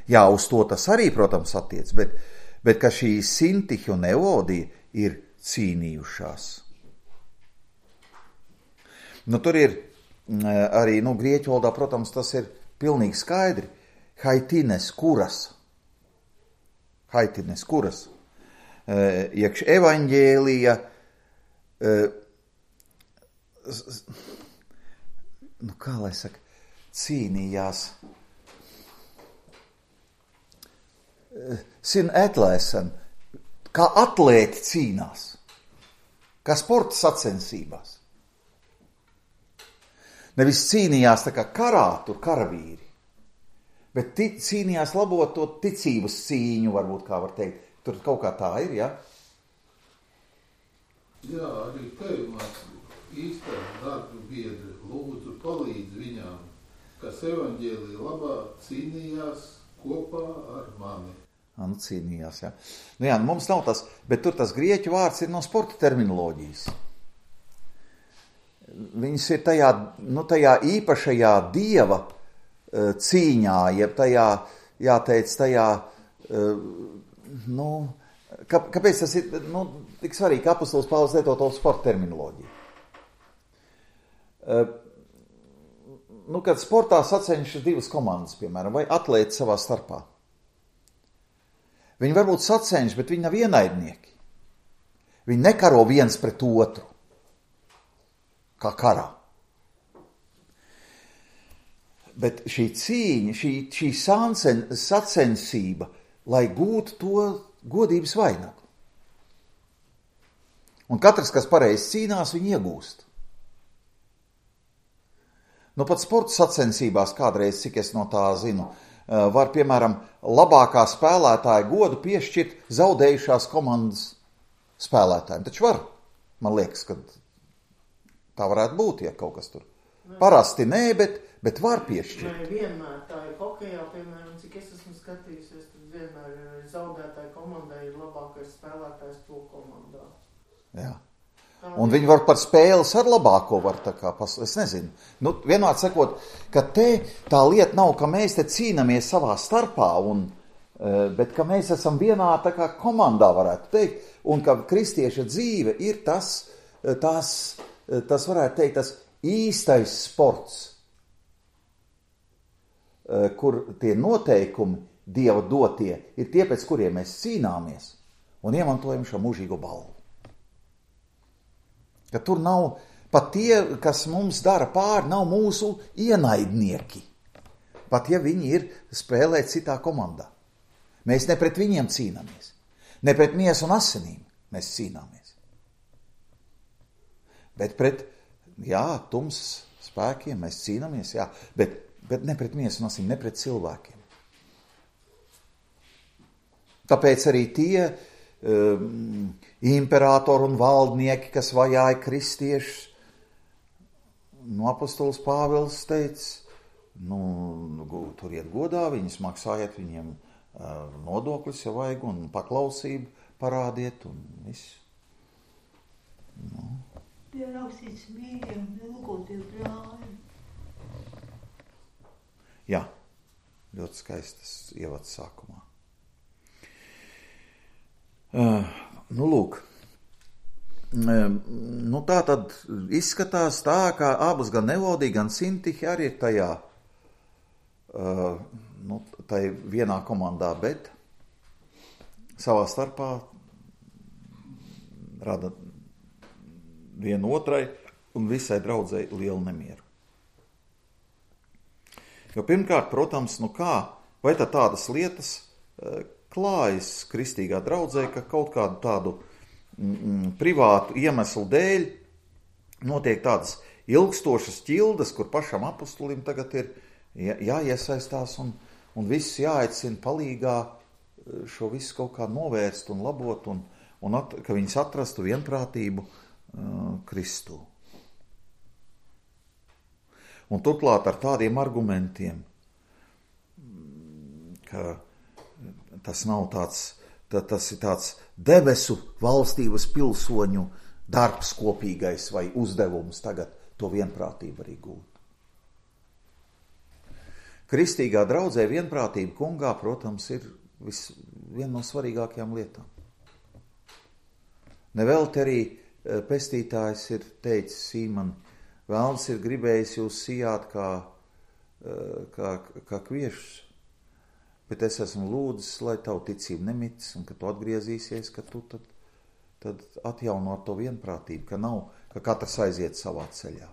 Jā, uz to tas arī, protams, attiec, bet, bet ka šī Sintiha un Evodija ir cīnījušās. Nu, tur ir arī, nu, grieķu valodā, protams, tas ir pilnīgi skaidri. Haitines kuras. Haitines kuras. Iekš evaņģēlija, nu, kā lai saka, cīnījās. Sin atlēsen, kā atlēti cīnās, kā sporta sacensībās. Nevis cīnījās tā kā karā, tur karavīri, bet ti, cīnījās labot to ticības cīņu, varbūt kā var teikt. Tur kaut kā tā ir, ja? Jā, arī tevi mācīja īstā darba biedri, lūdzu palīdz viņām, kas evaņģēlija labā cīnījās kopā ar mani. Nu, cīnījās, jā. Nu jā, mums nav tas, bet tur tas grieķu vārds ir no sporta terminoloģijas. Viņas ir tajā, nu, tajā īpašajā dieva uh, cīņā, jeb tajā, jāteic, tajā, uh, nu, kā, kāpēc tas ir, nu, tik svarīgi, ka apostols Pāvils lieto to sporta terminoloģiju. Uh, nu, kad sportā sacenšas divas komandas, piemēram, vai atlēti savā starpā. Viņi varbūt sacenš, bet viņi nav ienaidnieki. Viņi nekaro viens pret otru, kā karā. Bet šī cīņa, šī, šī sancen, sacensība, lai gūtu to godības vainagu. Un katrs, kas pareizi cīnās, viņi iegūst. Nu, pat sporta sacensībās kādreiz, cik es no tā zinu, var, piemēram, labākā spēlētāja godu piešķirt zaudējušās komandas spēlētājiem. Taču var, man liekas, ka tā varētu būt, ja kaut kas tur. Parasti nē, bet, bet var piešķirt. Nē, vienmēr tā ir hokejā, piemēram, cik es esmu skatījusies, tad vienmēr zaudētāja komandai ir labākais spēlētājs to komandā. Jā. Un viņi var par spēles ar labāko var tā kā, pas, es nezinu. Nu, vienmēr sakot, ka te tā lieta nav, ka mēs te cīnamies savā starpā, un, bet ka mēs esam vienā tā kā komandā, varētu teikt, un ka kristieša dzīve ir tas, tas, tas varētu teikt, tas īstais sports, kur tie noteikumi Dieva dotie ir tie, pēc kuriem mēs cīnāmies un iemantojam šo mūžīgo balvu. Ka tur nav, pat tie, kas mums dara pāri, nav mūsu ienaidnieki. Pat ja viņi ir spēlēt citā komandā. Mēs ne pret viņiem cīnāmies. Ne pret miesu un asinīm mēs cīnāmies. Bet pret, jā, tums spēkiem mēs cīnāmies, jā, bet, bet ne pret miesu un asinīm, ne pret cilvēkiem. Tāpēc arī tie Um, imperatori un valdnieki, kas vajāja kristiešus, no apostols Pāvils teica, nu, turiet godā, viņus maksājiet viņiem uh, nodokļus, ja vajag, un paklausību parādiet, un viss. Nu. Bija rakstīts mīļiem, ilgotie brāļi. Jā, ļoti skaistas ievads sākumā. Uh, nu, lūk, uh, nu, tā tad izskatās tā, ka abas gan Evodija, gan Sintiha arī ir tajā, uh, nu, tai vienā komandā, bet savā starpā rada vienu otrai un visai draudzei lielu nemieru. Jo pirmkārt, protams, nu kā, vai tā tādas lietas, uh, klājas kristīgā draudzē, ka kaut kādu tādu mm, privātu iemeslu dēļ notiek tādas ilgstošas ķildes, kur pašam apostolim tagad ir jā, jāiesaistās un, un viss jāaicina palīgā šo visu kaut kā novērst un labot, un, un at, ka viņas atrastu vienprātību uh, Kristū. Un turklāt ar tādiem argumentiem, ka tas nav tāds, tā, tas ir tāds debesu valstības pilsoņu darbs kopīgais vai uzdevums tagad to vienprātību arī gūt. Kristīgā draudzē vienprātība kungā, protams, ir vis, viena no svarīgākajām lietām. Nevelti arī pestītājs ir teicis Sīmani, Velns ir gribējis jūs sijāt kā, kā, kā kviešus, bet es esmu lūdzis, lai tavu ticību nemitis un ka tu atgriezīsies, ka tu tad, tad atjaunot to vienprātību, ka nav, ka katrs aiziet savā ceļā.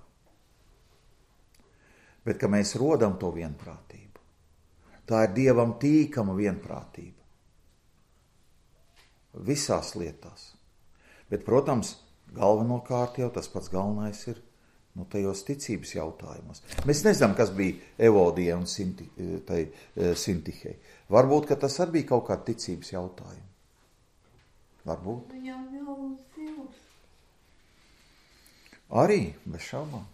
Bet ka mēs rodam to vienprātību. Tā ir Dievam tīkama vienprātība. Visās lietās. Bet, protams, galvenokārt jau tas pats galvenais ir nu, tajos ticības jautājumos. Mēs nezinām, kas bija Evodijai un Sinti, tai, Sintihei. Varbūt, ka tas arī bija kaut kāda ticības jautājuma. Varbūt. Viņam jau zils. Arī, bez šaubām.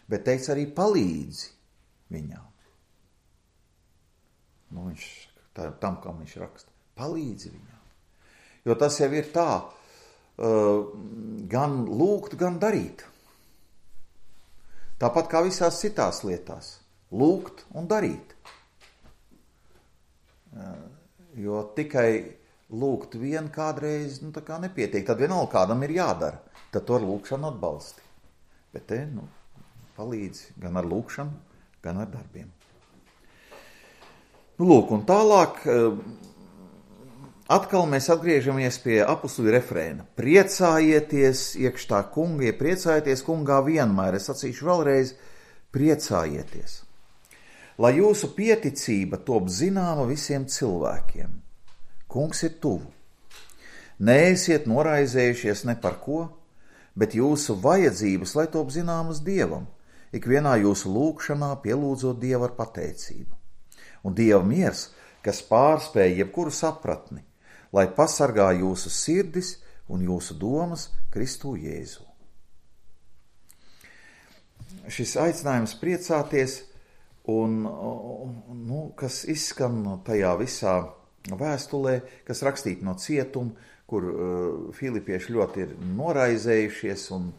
Bet teiks arī palīdzi viņām. Nu, viņš, tā, tam, kā viņš raksta. Palīdzi viņām. Jo tas jau ir tā, uh, gan lūgt, gan darīt. Tāpat kā visās citās lietās. Lūgt un darīt. Uh, jo tikai lūgt vien kādreiz, nu, tā kā nepietiek. Tad vienalga kādam ir jādara. Tad to ar lūgšanu atbalsti. Bet te, nu, palīdz gan ar lūgšanu, gan ar darbiem. Nu, lūk, un tālāk atkal mēs atgriežamies pie apustuļu refrēna. Priecājieties iekšā kunga, ja priecājieties kungā vienmēr. Es sacīšu vēlreiz, priecājieties. Lai jūsu pieticība top zināma visiem cilvēkiem. Kungs ir tuvu. Neesiet noraizējušies ne par ko, bet jūsu vajadzības, lai top zināmas Dievam, ikvienā jūsu lūgšanā pielūdzot Dievu ar pateicību. Un Dieva miers, kas pārspēj jebkuru sapratni, lai pasargā jūsu sirdis un jūsu domas Kristū Jēzu. Šis aicinājums priecāties, un, nu, kas izskan tajā visā vēstulē, kas rakstīta no cietuma, kur uh, filipieši ļoti ir noraizējušies un,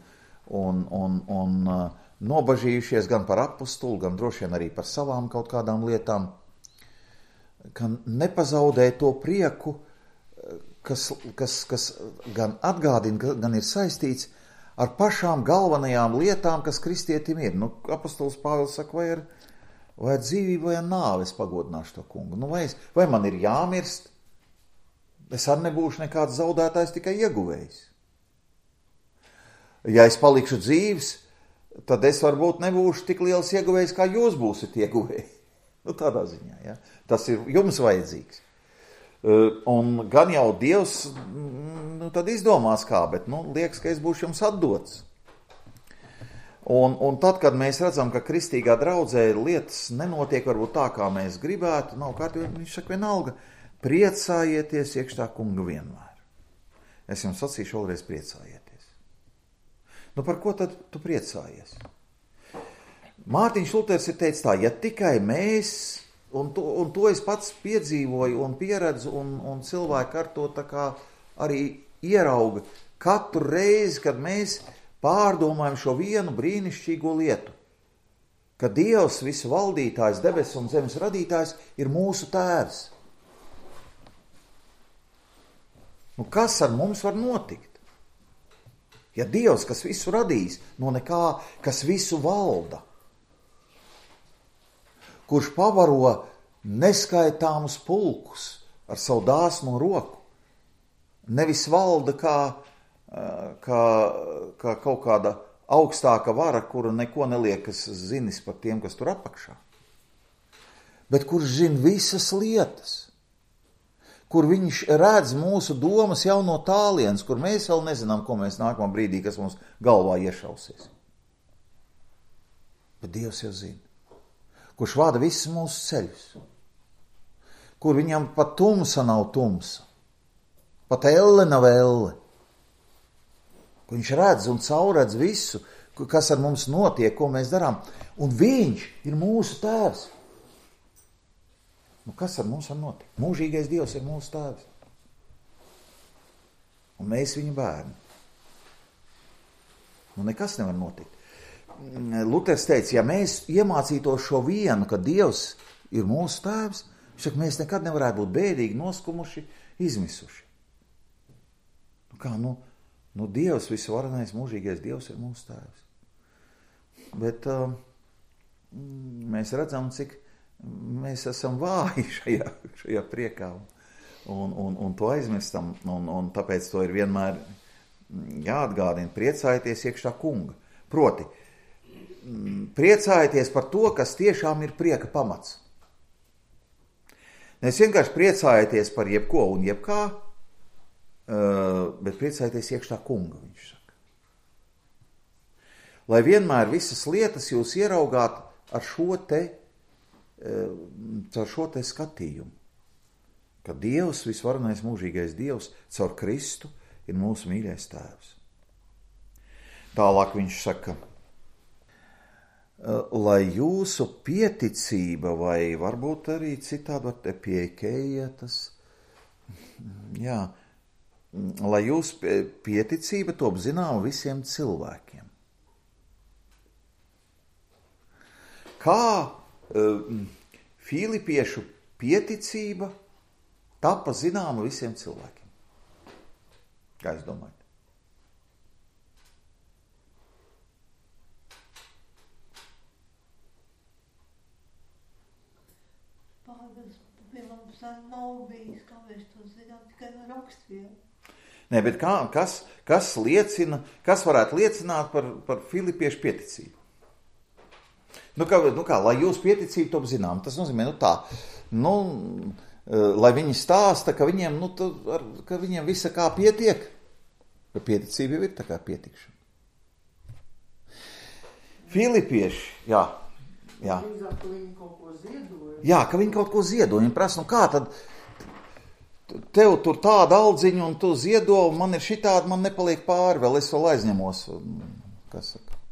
un, un, un uh, nobažījušies gan par apustuli, gan droši vien arī par savām kaut kādām lietām, ka nepazaudē to prieku, kas, kas, kas gan atgādina, gan ir saistīts ar pašām galvenajām lietām, kas kristietim ir. Nu, apostols Pāvils saka, vai ar, vai ar dzīvību, vai ar nāvi es pagodināšu to kungu. Nu, vai, es, vai man ir jāmirst? Es arī nebūšu nekāds zaudētājs, tikai ieguvējs. Ja es palikšu dzīves, tad es varbūt nebūšu tik liels ieguvējs, kā jūs būsiet ieguvēji. Nu, tādā ziņā, ja. Tas ir jums vajadzīgs. Un gan jau Dievs, nu, tad izdomās kā, bet, nu, liekas, ka es būšu jums atdots. Un, un tad, kad mēs redzam, ka kristīgā draudzē lietas nenotiek varbūt tā, kā mēs gribētu, nav kārtībā, viņš saka vienalga, priecājieties iekšā kunga vienmēr. Es jums sacīšu vēlreiz priecājieties. Nu, par ko tad tu priecājies? Mārtiņš Luters ir teicis tā, ja tikai mēs, un to, un to es pats piedzīvoju un pieredzu, un, un cilvēki ar to tā kā arī ierauga katru reizi, kad mēs pārdomājam šo vienu brīnišķīgo lietu, ka Dievs, visu valdītājs, debesu un zemes radītājs, ir mūsu tēvs. Nu, kas ar mums var notikt? Ja Dievs, kas visu radīs, no nekā, kas visu valda, kurš pavaro neskaitāmus pulkus ar savu dāsnu roku, nevis valda kā, kā, kā kaut kāda augstāka vara, kura neko neliekas zinis par tiem, kas tur apakšā, bet kurš zina visas lietas, kur viņš redz mūsu domas jau no tālienes, kur mēs vēl nezinām, ko mēs nākamā brīdī, kas mums galvā iešausies. Bet Dievs jau zina. Kurš vada visus mūsu ceļus, kur viņam pat tumsa nav tumsa, pat elle nav elle, kur viņš redz un caurredz visu, kas ar mums notiek, ko mēs darām, un viņš ir mūsu tēvs. Nu, kas ar mums var notikt? Mūžīgais Dievs ir mūsu tēvs, un mēs viņa bērni. Nu, nekas nevar notikt. Luters teica, ja mēs iemācītos šo vienu, ka Dievs ir mūsu tēvs, viņš saka, mēs nekad nevarētu būt bēdīgi, noskumuši, izmisuši. Nu kā, nu, nu Dievs, visvarenais, mūžīgais Dievs ir mūsu tēvs. Bet uh, mēs redzam, cik mēs esam vāji šajā, šajā priekā un, un, un to aizmirstam, un, un tāpēc to ir vienmēr jāatgādina, priecājieties iekšā kunga. Proti, priecājieties par to, kas tiešām ir prieka pamats. Nevis vienkārši priecājieties par jebko un jebkā, bet priecājieties iekšā kunga, viņš saka. Lai vienmēr visas lietas jūs ieraugāt ar šo te, caur šo te skatījumu, ka Dievs, visvarenais mūžīgais Dievs, caur Kristu ir mūsu mīļais tēvs. Tālāk viņš saka, lai jūsu pieticība, vai varbūt arī citādi var te pieeikeja tas, jā, lai jūsu pieticība top zināma visiem cilvēkiem. Kā uh, Filipiešu pieticība tapa zināma visiem cilvēkiem? Kā jūs domājat? Pāvils pirms nav bijis, kā mēs to zinām, tikai no rakstvielu. Nē, bet kā, kas, kas liecina, kas varētu liecināt par, par Filipiešu pieticību? Nu kā, nu kā, lai jūs pieticību top zinām, tas nozīmē, nu tā, nu, lai viņi stāsta, ka viņiem, nu, tu, ar, ka viņiem visa kā pietiek, ka pieticība jau ir tā kā pietikšana. Filipieši, jā, jā. Drīzāk, ka viņi kaut ko ziedoja. Jā, ka viņi kaut ko ziedoja, viņi prasa, nu kā tad, tev tur tāda aldziņa un tu ziedo, un man ir šitādi, man nepaliek pāri, vēl es vēl aizņemos, kas saka,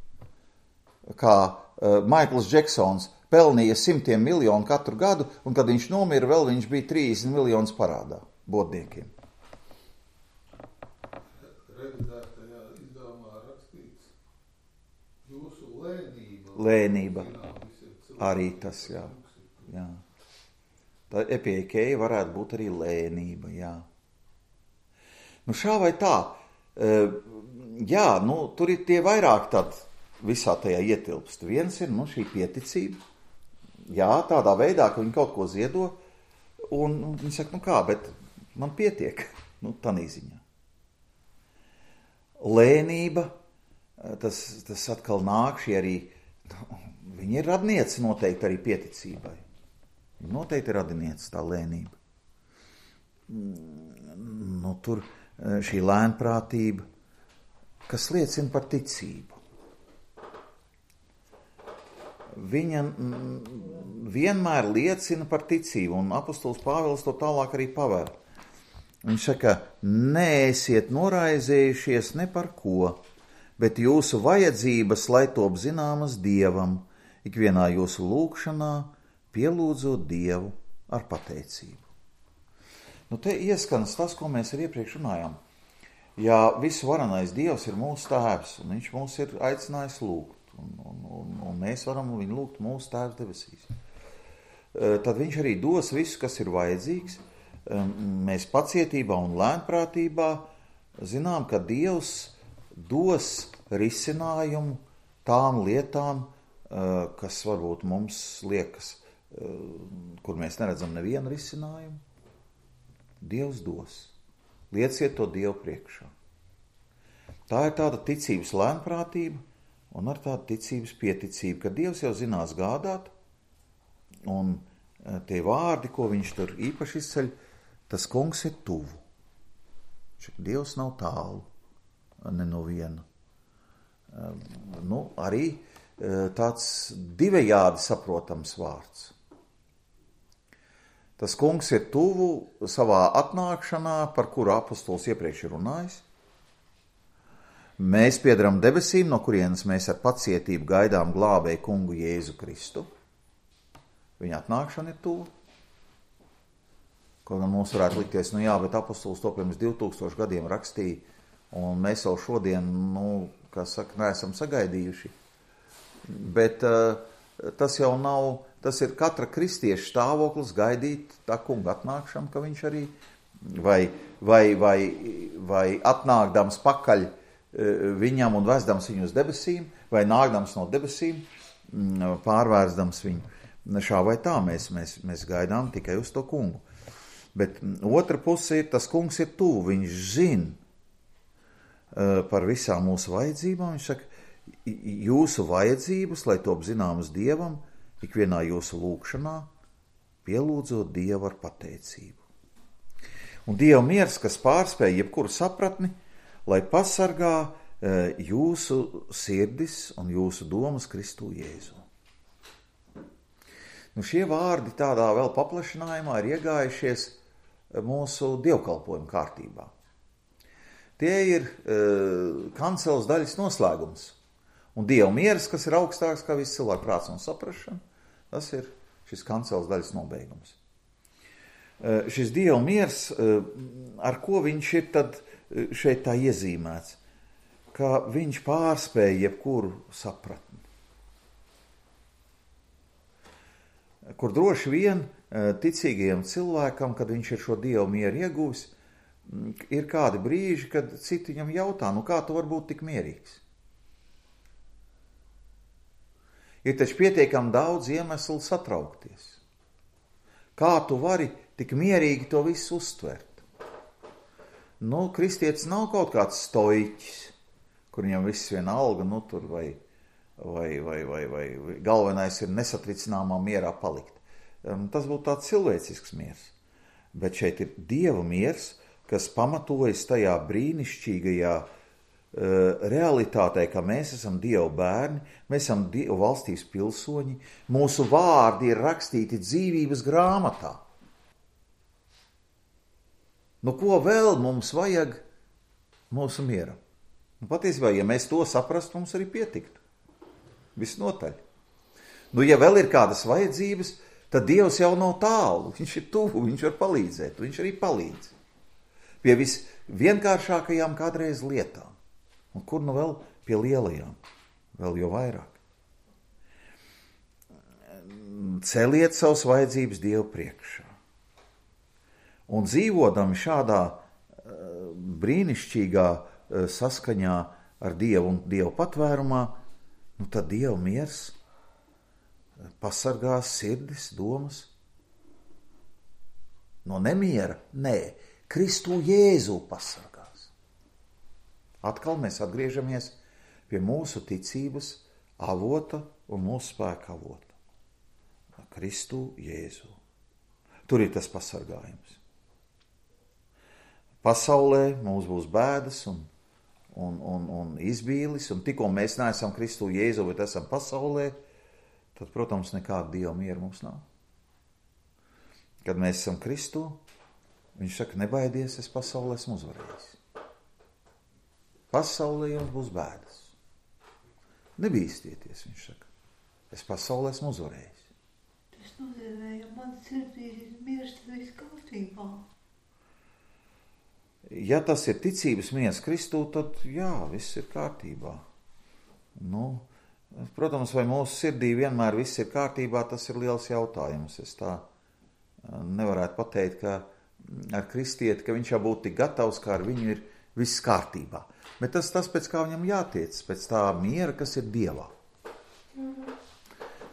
kā uh, Maikls Džeksons pelnīja simtiem miljonu katru gadu, un kad viņš nomira, vēl viņš bija trīsdesmit miljonus parādā bodniekiem. Revidētajā izdevumā rakstīts jūsu lēnība. Lēnība. Arī tas, jā. jā. Tā epieikeja varētu būt arī lēnība, jā. Nu šā vai tā, uh, jā, nu tur ir tie vairāk tad visā tajā ietilpst. Viens ir, nu, šī pieticība. Jā, tādā veidā, ka viņi kaut ko ziedo, un, un viņi saka, nu kā, bet man pietiek, nu, tanī ziņā. Lēnība, tas, tas atkal nāk šī arī, nu, viņi ir radnieci noteikti arī pieticībai. Noteikti ir radnieci tā lēnība. Nu, tur šī lēnprātība, kas liecina par ticību. Viņa vienmēr liecina par ticību, un apostols Pāvils to tālāk arī paver. Viņš saka, neesiet noraizējušies ne par ko, bet jūsu vajadzības, lai top zināmas Dievam, ikvienā jūsu lūgšanā, pielūdzot Dievu ar pateicību. Nu, te ieskanas tas, ko mēs arī iepriekš runājām. Ja visu varenais Dievs ir mūsu tēvs, un viņš mūs ir aicinājis lūgt, Un, un, un, un mēs varam viņu lūgt mūsu tēvs debesīs. Tad viņš arī dos visu, kas ir vajadzīgs. Mēs pacietībā un lēnprātībā zinām, ka Dievs dos risinājumu tām lietām, kas varbūt mums liekas, kur mēs neredzam nevienu risinājumu. Dievs dos. Lieciet to Dievu priekšā. Tā ir tāda ticības lēnprātība, un ar tādu ticības pieticību, ka Dievs jau zinās gādāt, un tie vārdi, ko viņš tur īpaši izceļ, tas kungs ir tuvu. Dievs nav tālu, ne no viena. Nu, arī tāds divējādi saprotams vārds. Tas kungs ir tuvu savā atnākšanā, par kuru apostols iepriekš ir runājis. Mēs piedaram debesīm, no kurienes mēs ar pacietību gaidām glābēju kungu Jēzu Kristu. Viņa atnākšana ir tuvu. Kaut gan mums varētu likties, nu jā, bet apostols to pirms divtūkstoši gadiem rakstīja, un mēs jau šodien, nu, kā saka, neesam sagaidījuši. bet uh, tas jau nav, tas ir katra kristieša stāvoklis gaidīt tā kunga atnākšanu, ka viņš arī vai, vai, vai, vai atnākdams pakaļ viņam un vesdams viņu uz debesīm, vai nākdams no debesīm, pārvērsdams viņu. Šā vai tā mēs, mēs, mēs gaidām tikai uz to kungu. Bet otra puse ir, tas kungs ir tuvu, viņš zina uh, par visām mūsu vajadzībām. Viņš saka, jūsu vajadzības, lai top zināmas Dievam, ikvienā jūsu lūgšanā, pielūdzot Dievu ar pateicību. Un Dieva miers, kas pārspēj jebkuru sapratni, lai pasargā uh, jūsu sirdis un jūsu domas Kristu Jēzu. Nu, šie vārdi tādā vēl paplašinājumā ir iegājušies mūsu dievkalpojuma kārtībā. Tie ir uh, kanceles daļas noslēgums. Un Dieva miers, kas ir augstāks kā viss cilvēku prāts un saprašana, tas ir šis kanceles daļas nobeigums. Uh, šis Dieva miers, uh, ar ko viņš ir tad šeit tā iezīmēts, ka viņš pārspēja jebkuru sapratni. Kur droši vien ticīgajam cilvēkam, kad viņš ir šo Dievu mieru iegūs, ir kādi brīži, kad citi viņam jautā, nu kā tu var būt tik mierīgs? Ir taču pietiekami daudz iemeslu satraukties. Kā tu vari tik mierīgi to visu uztvert? Nu, kristietis nav kaut kāds stoiķis, kur viņam viss vienalga, nu tur vai... Vai, vai, vai, vai galvenais ir nesatricināmā mierā palikt. Tas būtu tāds cilvēcisks miers. Bet šeit ir Dieva miers, kas pamatojas tajā brīnišķīgajā uh, realitātē, ka mēs esam Dieva bērni, mēs esam Dieva valstības pilsoņi, mūsu vārdi ir rakstīti dzīvības grāmatā. Nu, ko vēl mums vajag mūsu mieram? Nu, patiesībā, ja mēs to saprastu, mums arī pietiktu. Visnotaļ. Nu, ja vēl ir kādas vajadzības, tad Dievs jau nav tālu. Viņš ir tuvu, viņš var palīdzēt, viņš arī palīdz. Pie visvienkāršākajām kādreiz lietām. Un kur nu vēl pie lielajām? Vēl jo vairāk. Celiet savas vajadzības Dievu priekšā. Un dzīvodami šādā uh, brīnišķīgā uh, saskaņā ar Dievu un Dievu patvērumā, nu tad Dieva miers pasargās sirdis, domas. No nemiera? Nē, Kristu Jēzu pasargās. Atkal mēs atgriežamies pie mūsu ticības avota un mūsu spēka avota. Kristu Jēzu. Tur ir tas pasargājums. Pasaulē mums būs bēdas un Un, un, un izbīlis, un tikko mēs neesam Kristu Jēzu, bet esam pasaulē, tad, protams, nekāda Dieva miera mums nav. Kad mēs esam Kristu, viņš saka, nebaidies, es pasaulē esmu uzvarējis. Pasaulē jums būs bēdas. Nebīstieties, viņš saka, es pasaulē esmu uzvarējis. Tas nozīmē, ja man sirdī ir miers, tad viss kārtībā. Ja tas ir ticības miers Kristū, tad jā, viss ir kārtībā. Nu, protams, vai mūsu sirdī vienmēr viss ir kārtībā, tas ir liels jautājums. Es tā nevarētu pateikt, ka ar kristieti, ka viņš jau būtu tik gatavs, kā ar viņu ir viss kārtībā. Bet tas tas, pēc kā viņam jātiec, pēc tā miera, kas ir Dievā.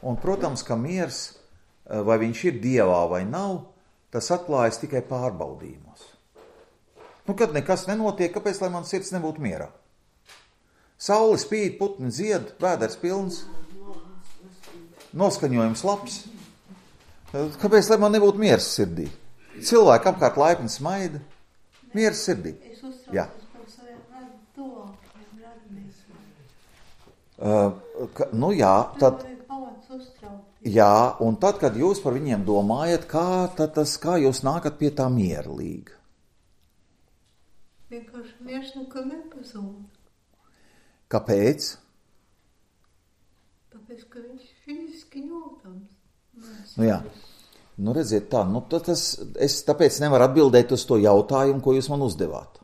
Un, protams, ka miers, vai viņš ir Dievā vai nav, tas atklājas tikai pārbaudījumos. Nu, kad nekas nenotiek, kāpēc, lai man sirds nebūtu mierā? Saule spīd, putni dzied, vēders pilns, noskaņojums labs. Kāpēc, lai man nebūtu miers sirdī? Cilvēki apkārt laipni smaida, miers sirdī. Es uztraucos Jā. par saviem tuvākiem radniekiem. Uh, ka, nu jā, tad, jā, un tad, kad jūs par viņiem domājat, kā, tad tas, kā jūs nākat pie tā mierlīga? Vienkārši miers nekad nepazūd. Kāpēc? Tāpēc, ka viņš fiziski jūtams. Nu jā, nu redziet tā, nu tas, es tāpēc nevaru atbildēt uz to jautājumu, ko jūs man uzdevāt.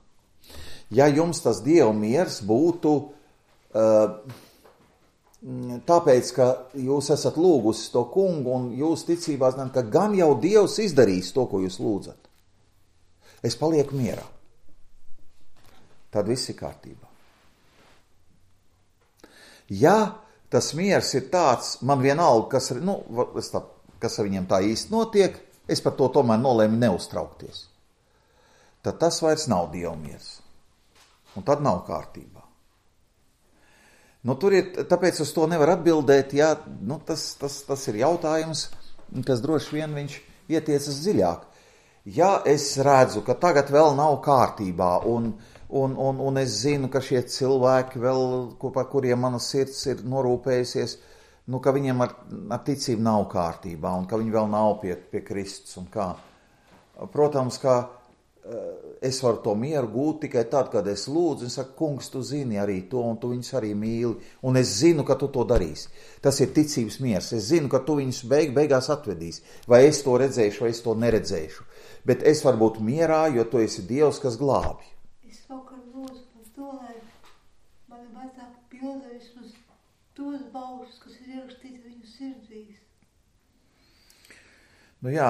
Ja jums tas Dieva miers būtu uh, tāpēc, ka jūs esat lūgusi to kungu un jūs ticībā zināt, ka gan jau Dievs izdarīs to, ko jūs lūdzat. Es palieku mierā. Tad viss ir kārtībā. Ja tas miers ir tāds, man vienalga, kas, nu, tā, kas ar viņiem tā īsti notiek, es par to tomēr nolēmu neuztraukties. Tad tas vairs nav Dieva miers. Un tad nav kārtībā. Nu, tur ir, tāpēc uz to nevar atbildēt, ja, nu, tas, tas, tas ir jautājums, kas droši vien viņš ietiecas dziļāk. Ja es redzu, ka tagad vēl nav kārtībā, un, un, un, un es zinu, ka šie cilvēki vēl, par kuriem mana sirds ir norūpējusies, nu, ka viņiem ar, ar ticību nav kārtībā, un ka viņi vēl nav pie, pie Kristus un kā. Protams, ka es varu to mieru gūt tikai tad, kad es lūdzu, un saku, kungs, tu zini arī to, un tu viņus arī mīli, un es zinu, ka tu to darīsi. Tas ir ticības miers. Es zinu, ka tu viņus beig, beigās atvedīsi. Vai es to redzēšu, vai es to neredzēšu. Bet es varu būt mierā, jo tu esi Dievs, kas glābi. Es vakar lūdzu par to, lai mani vecāki pildēs uz tos baušus, kas ir ierakstīti viņu sirdīs. Nu jā,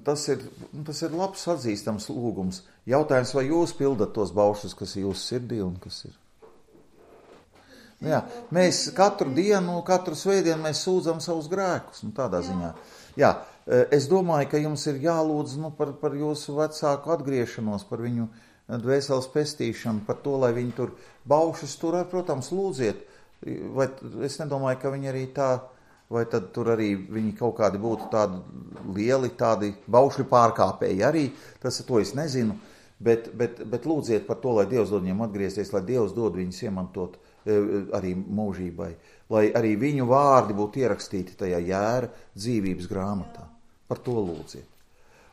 tas ir, tas ir labs atzīstams lūgums. Jautājums, vai jūs pildat tos baušus, kas ir jūsu sirdī un kas ir? Nu jā, mēs katru dienu, katru svētdienu mēs sūdzam savus grēkus, nu tādā ziņā. Jā, es domāju, ka jums ir jālūdz nu, par, par jūsu vecāku atgriešanos, par viņu dvēseles pestīšanu, par to, lai viņi tur baušus tur, protams, lūdziet. Vai es nedomāju, ka viņi arī tā... Vai tad tur arī viņi kaut kādi būtu tādi lieli, tādi baušļu pārkāpēji arī, tas to es nezinu, bet, bet, bet lūdziet par to, lai Dievs dod viņiem atgriezties, lai Dievs dod viņus iemantot arī mūžībai, lai arī viņu vārdi būtu ierakstīti tajā jēra dzīvības grāmatā. Par to lūdziet.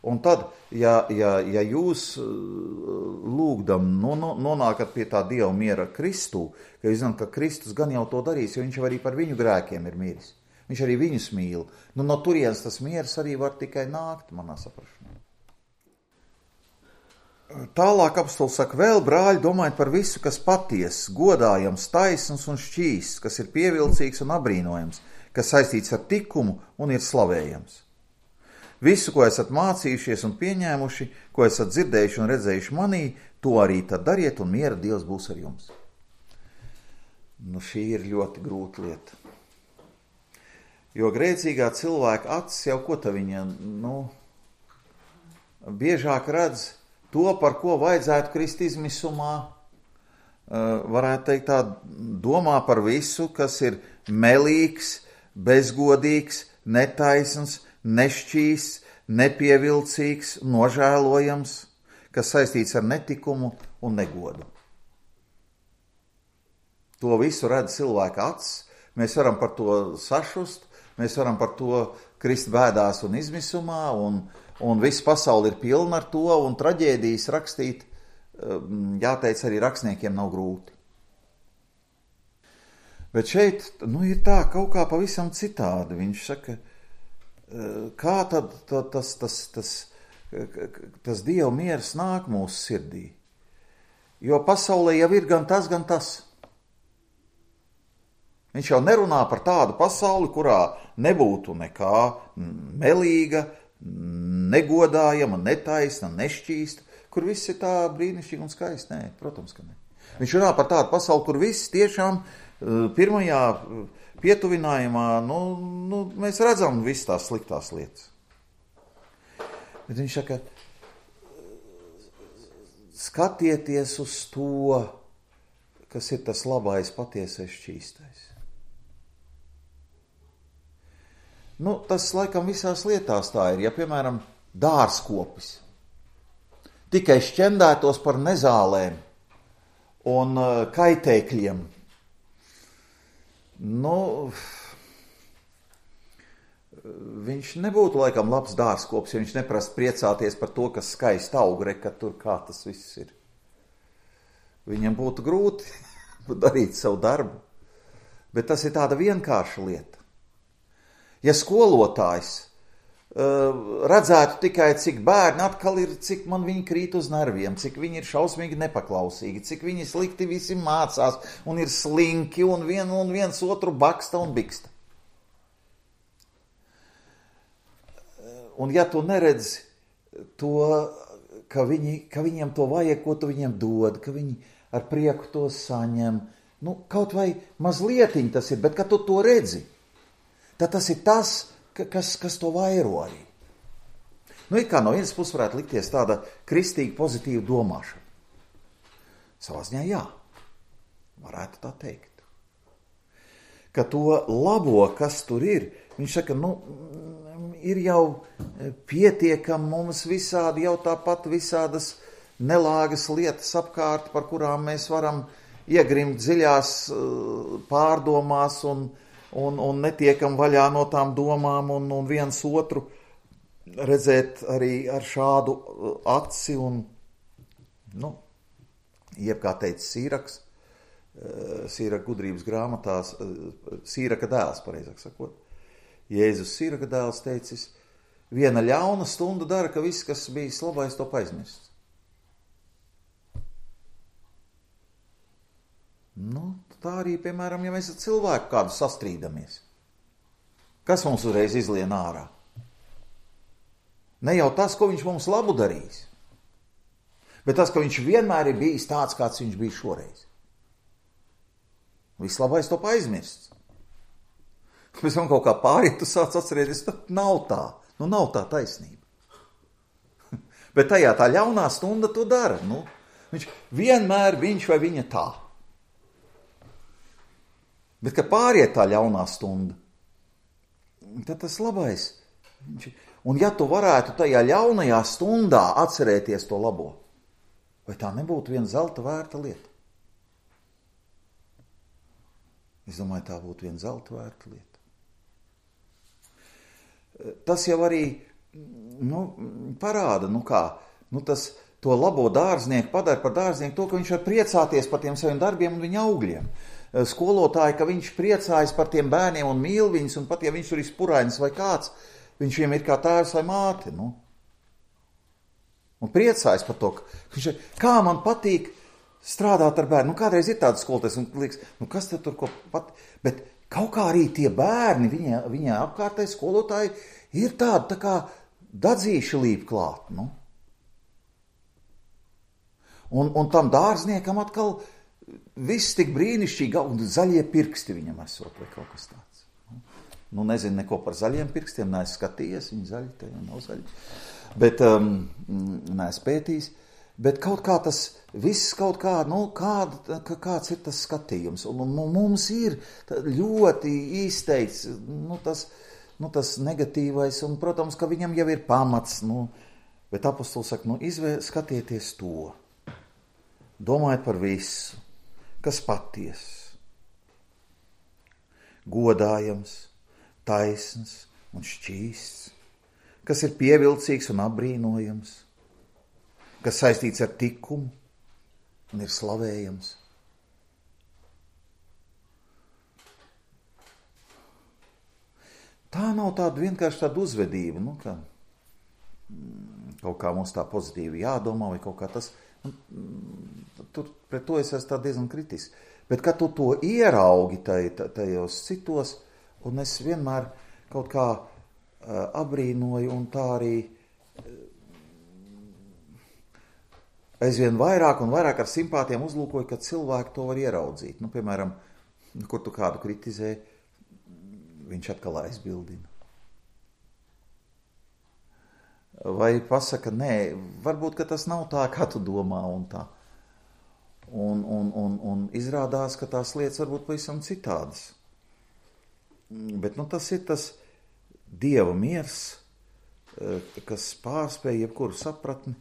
Un tad, ja, ja, ja jūs lūgdam nonākat pie tā Dieva miera Kristū, ka jūs zināt, ka Kristus gan jau to darīs, jo viņš arī par viņu grēkiem ir miris. Viņš arī viņus mīl. Nu, no turienes tas miers arī var tikai nākt, manā saprašanā. Tālāk apostols saka, vēl brāļi, domājiet par visu, kas patiess, godājams, taisns un šķīsts, kas ir pievilcīgs un abrīnojams, kas saistīts ar tikumu un ir slavējams. Visu, ko esat mācījušies un pieņēmuši, ko esat dzirdējuši un redzējuši manī, to arī tad dariet un miera Dievs būs ar jums. Nu, šī ir ļoti grūta lieta. Jo grēcīgā cilvēka acis jau ko ta viņa, nu, biežāk redz to, par ko vajadzētu krist izmisumā, varētu teikt tā, domā par visu, kas ir melīgs, bezgodīgs, netaisns, nešķīsts, nepievilcīgs, nožēlojams, kas saistīts ar netikumu un negodu. To visu redz cilvēka acis, mēs varam par to sašust, mēs varam par to krist bēdās un izmisumā, un, un viss pasauli ir pilna ar to, un traģēdijas rakstīt, jāteic, arī rakstniekiem nav grūti. Bet šeit, nu, ir tā kaut kā pavisam citādi. Viņš saka, kā tad tā, tas, tas, tas, tas Dieva miers nāk mūsu sirdī? Jo pasaulē jau ir gan tas, gan tas. Viņš jau nerunā par tādu pasauli, kurā nebūtu nekā melīga, negodājama, netaisna, nešķīsta, kur viss ir tā brīnišķīgi un skaisti. Nē, protams, ka ne. Viņš runā par tādu pasauli, kur viss tiešām pirmajā pietuvinājumā, nu, nu, mēs redzam visas tās sliktās lietas. Bet viņš saka, skatieties uz to, kas ir tas labais, patiesais, šķīstais. Nu, tas laikam visās lietās tā ir. Ja, piemēram, dārzkopis tikai šķendētos par nezālēm un uh, kaitēkļiem, nu, viņš nebūtu laikam labs dārzkopis, ja viņš neprast priecāties par to, kas skaisti aug, re, ka tur kā tas viss ir. Viņam būtu grūti darīt savu darbu, bet tas ir tāda vienkārša lieta. Ja skolotājs redzētu tikai, cik bērni atkal ir, cik man viņi krīt uz nerviem, cik viņi ir šausmīgi nepaklausīgi, cik viņi slikti visi mācās un ir slinki un, vien, un viens otru baksta un biksta. Un ja tu neredzi to, ka, viņi, ka viņiem to vajag, ko tu viņiem dod, ka viņi ar prieku to saņem, nu, kaut vai mazlietiņ tas ir, bet kad tu to redzi, tad tas ir tas, kas, kas to vairo arī. Nu, it kā no vienas puses varētu likties tāda kristīga pozitīva domāšana. Savā ziņā jā, varētu tā teikt. Ka to labo, kas tur ir, viņš saka, nu, ir jau pietiekami mums visādi, jau tāpat visādas nelāgas lietas apkārt, par kurām mēs varam iegrimt dziļās pārdomās un, un, un netiekam vaļā no tām domām un, un viens otru redzēt arī ar šādu aci un, nu, jeb kā teica Sīraks, Sīraka gudrības grāmatās, Sīraka dēls, pareizāk sakot. Jēzus Sīraka dēls teicis, viena ļauna stunda dara, ka viss, kas bijis labais, to aizmirsts. Nu, tā arī, piemēram, ja mēs ar cilvēku kādu sastrīdamies. Kas mums uzreiz izlien ārā? Ne jau tas, ko viņš mums labu darīs, bet tas, ka viņš vienmēr ir bijis tāds, kāds viņš bija šoreiz. Viss labais to aizmirsts. Pēc tam kaut kā pāriet, tu sāc atcerēties, tad nav tā. Nu, nav tā taisnība. Bet tajā tā ļaunā stunda to dara. Nu, viņš vienmēr viņš vai viņa tā. Bet, kad pāriet tā ļaunā stunda, tad tas labais. Viņš, un ja tu varētu tajā ļaunajā stundā atcerēties to labo, vai tā nebūtu viena zelta vērta lieta? Es domāju, tā būtu viena zelta vērta lieta. Tas jau arī nu, parāda, nu kā, nu tas to labo dārznieku padara par dārznieku to, ka viņš var priecāties par tiem saviem darbiem un viņa augļiem. Skolotāji, ka viņš priecājas par tiem bērniem un mīl viņus, un pat ja viņš tur ir spurainis vai kāds, viņš viņam ir kā tēvs vai māte, nu. Un priecājas par to, ka viņš ir, kā man patīk strādāt ar bērnu. Nu, kādreiz ir tāds skolotājs, un liekas, nu kas te tur ko pat, bet kaut kā arī tie bērni, viņa, viņa apkārtēji skolotāji, ir tādi tā kā dadzīši līp klāt, nu. Un, un tam dārzniekam atkal viss tik brīnišķīgi, un zaļie pirksti viņam esot, vai kaut kas tāds. Nu, nezinu neko par zaļiem pirkstiem, neesmu skatījies, viņi zaļi, te jau nav zaļi. Bet, um, neesmu pētījis. Bet kaut kā tas viss kaut kā, nu, kāda, kāds ir tas skatījums. Un, un mums ir ļoti izteikts, nu, tas, nu, tas negatīvais, un, protams, ka viņam jau ir pamats, nu, bet apostols saka, nu, izvēr, skatieties to. Domājiet par visu, kas paties, godājams, taisns un šķīsts, kas ir pievilcīgs un apbrīnojams, kas saistīts ar tikumu un ir slavējams. Tā nav tāda vienkārši tāda uzvedība, nu, ka kaut kā mums tā pozitīvi jādomā vai kaut kā tas, tur pret to es esmu tā diezgan kritisks. Bet, kad tu to ieraugi tajos citos, un es vienmēr kaut kā apbrīnoju un tā arī aizvien vairāk un vairāk ar simpātiem uzlūkoju, ka cilvēki to var ieraudzīt. Nu, piemēram, kur tu kādu kritizē, viņš atkal aizbildina. Vai pasaka, nē, varbūt, ka tas nav tā, kā tu domā un tā. Un, un, un, un izrādās, ka tās lietas varbūt pavisam citādas. Bet, nu, tas ir tas Dieva miers, kas pārspēj jebkuru sapratni.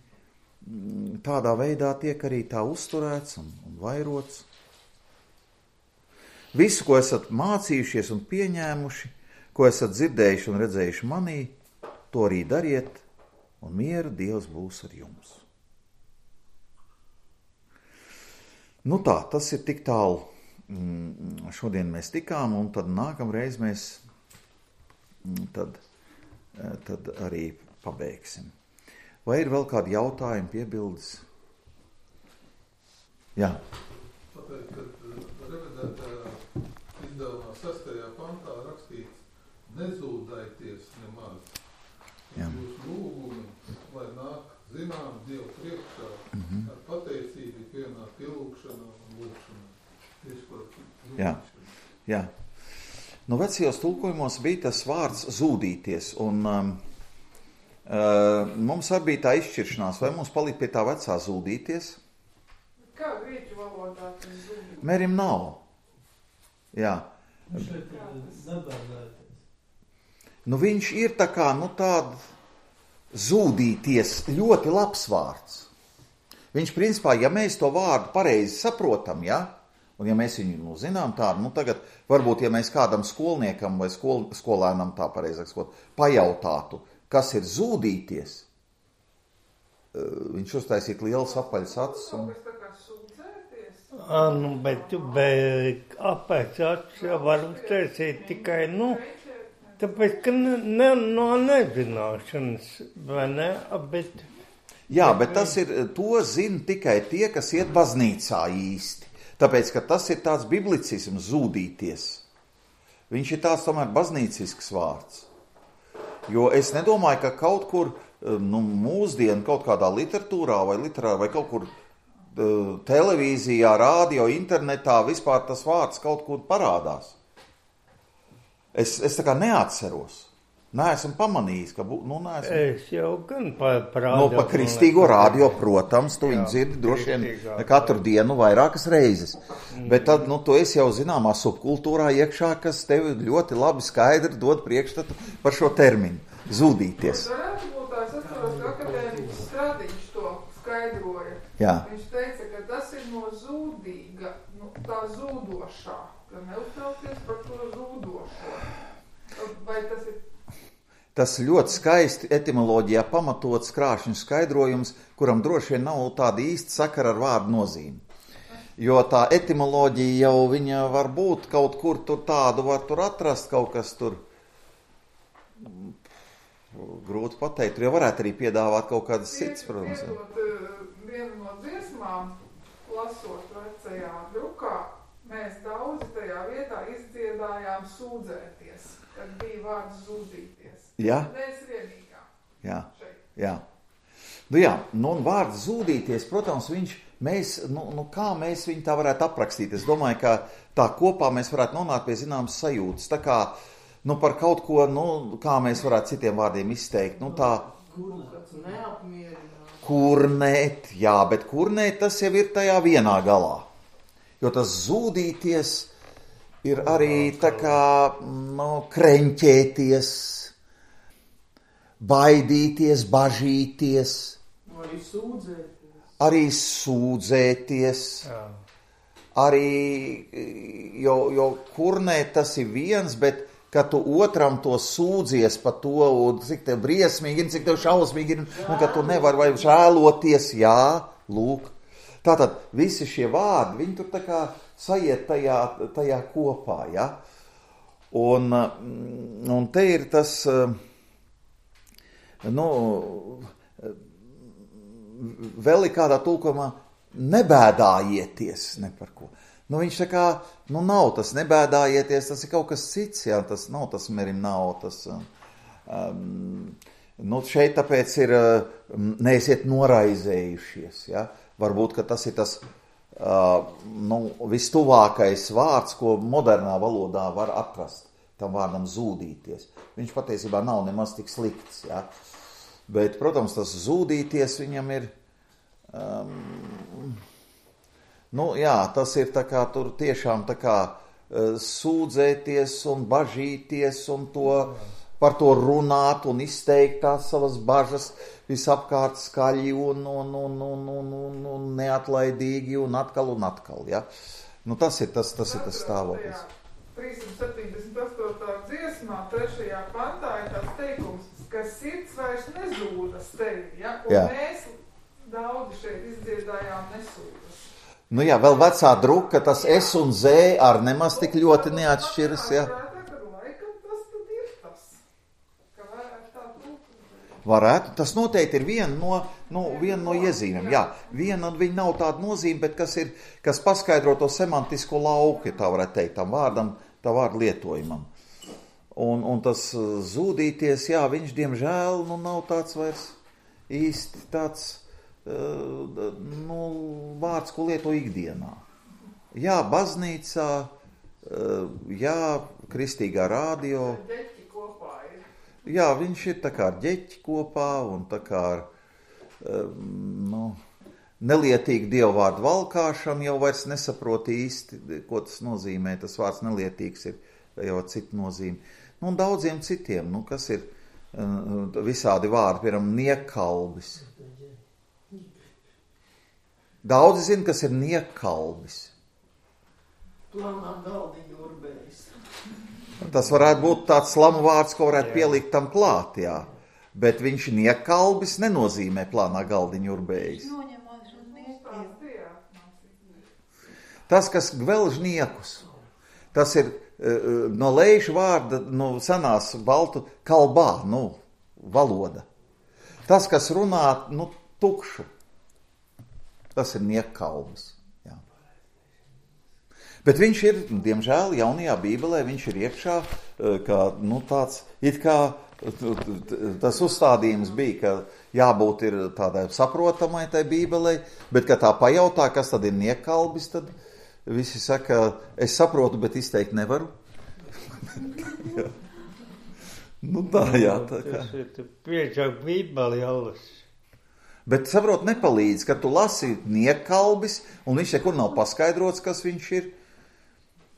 Tādā veidā tiek arī tā uzturēts un, un vairots. Visu, ko esat mācījušies un pieņēmuši, ko esat dzirdējuši un redzējuši manī, to arī dariet, un miera Dievs būs ar jums. Nu tā, tas ir tik tālu. Šodien mēs tikām, un tad nākamreiz mēs tad tad arī pabeigsim. Vai ir vēl kādi jautājumi, piebildes? Jā. Tāpēc, kad revidētajā izdevumā sastajā pantā rakstīts nezūdaities nemaz. Jā. Jūs lūgumi, lai nāk zinām Dievu priekšā, mm-hmm. ar pateicību ikvienā pielūgšanā un lūgšanā. Tieši par zūdīšanu. Jā, jā. Nu, vecajos tulkojumos bija tas vārds zūdīties, un um, uh, mums arī bija tā izšķiršanās, vai mums palikt pie tā vecā zūdīties? Kā grieķu valodā tas zūdīties? Mērim nav. Jā. Šeit ir zabēlēties. Nu, viņš ir tā kā, nu, tāda zūdīties ļoti labs vārds. Viņš, principā, ja mēs to vārdu pareizi saprotam, ja, un ja mēs viņu, nu, zinām tādu, nu, tagad, varbūt, ja mēs kādam skolniekam vai skol, skolēnam tā pareizāk skot, pajautātu, kas ir zūdīties, viņš uztaisītu liels apaļas acis. Un... Tas tā kā sūdzēties? A, nu, bet, bet apaļas acis var uztaisīt tikai, nu, tāpēc, ka ne, ne, no nezināšanas, vai ne, bet... Jā, bet tas ir, to zina tikai tie, kas iet baznīcā īsti. Tāpēc, ka tas ir tāds biblicisms zūdīties. Viņš ir tāds tomēr baznīcisks vārds. Jo es nedomāju, ka kaut kur, nu, mūsdienu kaut kādā literatūrā vai literā vai kaut kur televīzijā, rādio, internetā vispār tas vārds kaut kur parādās. Es, es tā kā neatceros. Neesmu pamanījis, ka, nu, neesmu. Es jau gan parādīju. No, pa kristīgo rādio, protams, tu viņu dzirdi droši vien katru dienu vairākas reizes. Mm. Bet tad, nu, tu esi jau zināmā subkultūrā iekšā, kas tevi ļoti labi skaidri dod priekšstatu par šo terminu. Zūdīties. Varētu būt tās atceros, ka akadēmiķis Stradiņš to skaidroja. Jā. Viņš teica, ka tas ir no zūdīga, nu, tā zūdošā, ka neuztraukties par to zūdošo. Vai tas ir... Tas ļoti skaisti etimoloģijā pamatots krāšņu skaidrojums, kuram droši vien nav tāda īsta sakara ar vārdu nozīmi. Jo tā etimoloģija jau viņa var būt kaut kur tur tādu, var tur atrast kaut kas tur. Grūti pateikt, tur jau varētu arī piedāvāt kaut kādas cits, protams. Pietot vienu no dziesmām, lasot vecajā drukā, mēs daudzi tajā vietā izdziedājām sūdzēties, kad bija vārds zūdīties. Jā? Mēs vienīgā. Jā, Šeit. jā. Nu jā, nu un vārds zūdīties, protams, viņš, mēs, nu, nu kā mēs viņu tā varētu aprakstīt? Es domāju, ka tā kopā mēs varētu nonākt pie zināmas sajūtas. Tā kā, nu par kaut ko, nu, kā mēs varētu citiem vārdiem izteikt, nu tā... Neapmierināt. Kurnēt, jā, bet kurnēt tas jau ir tajā vienā galā. Jo tas zūdīties ir arī tā kā, nu, kreņķēties, baidīties, bažīties, Arī sūdzēties. arī sūdzēties, Jā. arī, jo, jo kurnēt tas ir viens, bet kad tu otram to sūdzies par to, un cik tev briesmīgi, cik tev šausmīgi, un ka tu nevar vai žēloties, jā, lūk. Tātad visi šie vārdi, viņi tur tā kā sajiet tajā, tajā kopā, ja? Un, un te ir tas... Nu, vēl ir kādā tulkojumā nebēdājieties ne par ko. Nu, viņš tā kā, nu, nav tas nebēdājieties, tas ir kaut kas cits, jā, tas nav tas merim nav, tas, um, nu, šeit tāpēc ir, neesiet noraizējušies, jā, varbūt, ka tas ir tas, uh, nu, vistuvākais vārds, ko modernā valodā var atrast, tam vārdam zūdīties. Viņš patiesībā nav nemaz tik slikts, jā. Bet, protams, tas zūdīties viņam ir, um, nu, jā, tas ir tā kā tur tiešām tā kā uh, sūdzēties un bažīties un to, par to runāt un izteikt tās savas bažas visapkārt skaļi un, un, un, un, un, un, un neatlaidīgi un atkal un atkal, jā. Nu, tas ir tas, tas ir tas stāvoklis. trīssimt septiņdesmit astotā dziesmā, trešajā pantā ir tāds teikums, ka sirds vairs nezūdas tevi, ja? Un jā. Mēs daudzi šeit izdziedājām nesūdas. Nu jā, vēl vecā druka, tas S un Z ar nemaz tik ļoti neatšķiras, jā. Prātā, ka laikam tas tad ir tas, ka varētu tā Varētu. Tas noteikti ir viena no, no, viena no iezīmēm. Jā, viena viņa nav tāda nozīme, bet kas, ir, kas paskaidro to semantisko lauku, ja tā varētu teikt, tam vārdam, tā vārda lietojumam. Un, un tas zūdīties, jā, viņš diemžēl nu, nav tāds vairs īsti tāds uh, nu, vārds, ko lieto ikdienā. Jā, baznīcā, uh, jā, kristīgā rādio. Jā, viņš ir tā kā ar ģeķi kopā un tā kā ar nu, nelietīgu dievvvārdu valkāšanu jau vairs nesaprot īsti, ko tas nozīmē. Tas vārds nelietīgs ir jau citu nozīmi. Nu, un daudziem citiem, nu, kas ir visādi vārdi, piemēram, niekalbis. Daudzi zina, kas ir niekalbis. Plānā galdiņu urbējs. Tas varētu būt tāds slamu vārds, ko varētu pielikt tam klāt, jā. Bet viņš niekalbis nenozīmē plānā galdiņu urbējis. Tas, kas gvelž niekus, tas ir uh, no leišu vārda, no senās baltu kalbā, nu, valoda. Tas, kas runā, nu, tukšu, tas ir niekalbis. Bet viņš ir, diemžēl, jaunajā Bībelē, viņš ir iekšā, kā, nu, tāds, it kā tas uzstādījums bija, ka jābūt ir tādai saprotamai tai Bībelei, bet, kad tā pajautā, kas tad ir niekalbis, tad visi saka, es saprotu, bet izteikt nevaru. Nu, tā, jā, tā kā. Tas ir piečāk Bībeli jālas. Bet, saprot, nepalīdz, kad tu lasi niekalbis, un viņš nekur nav paskaidrots, kas viņš ir.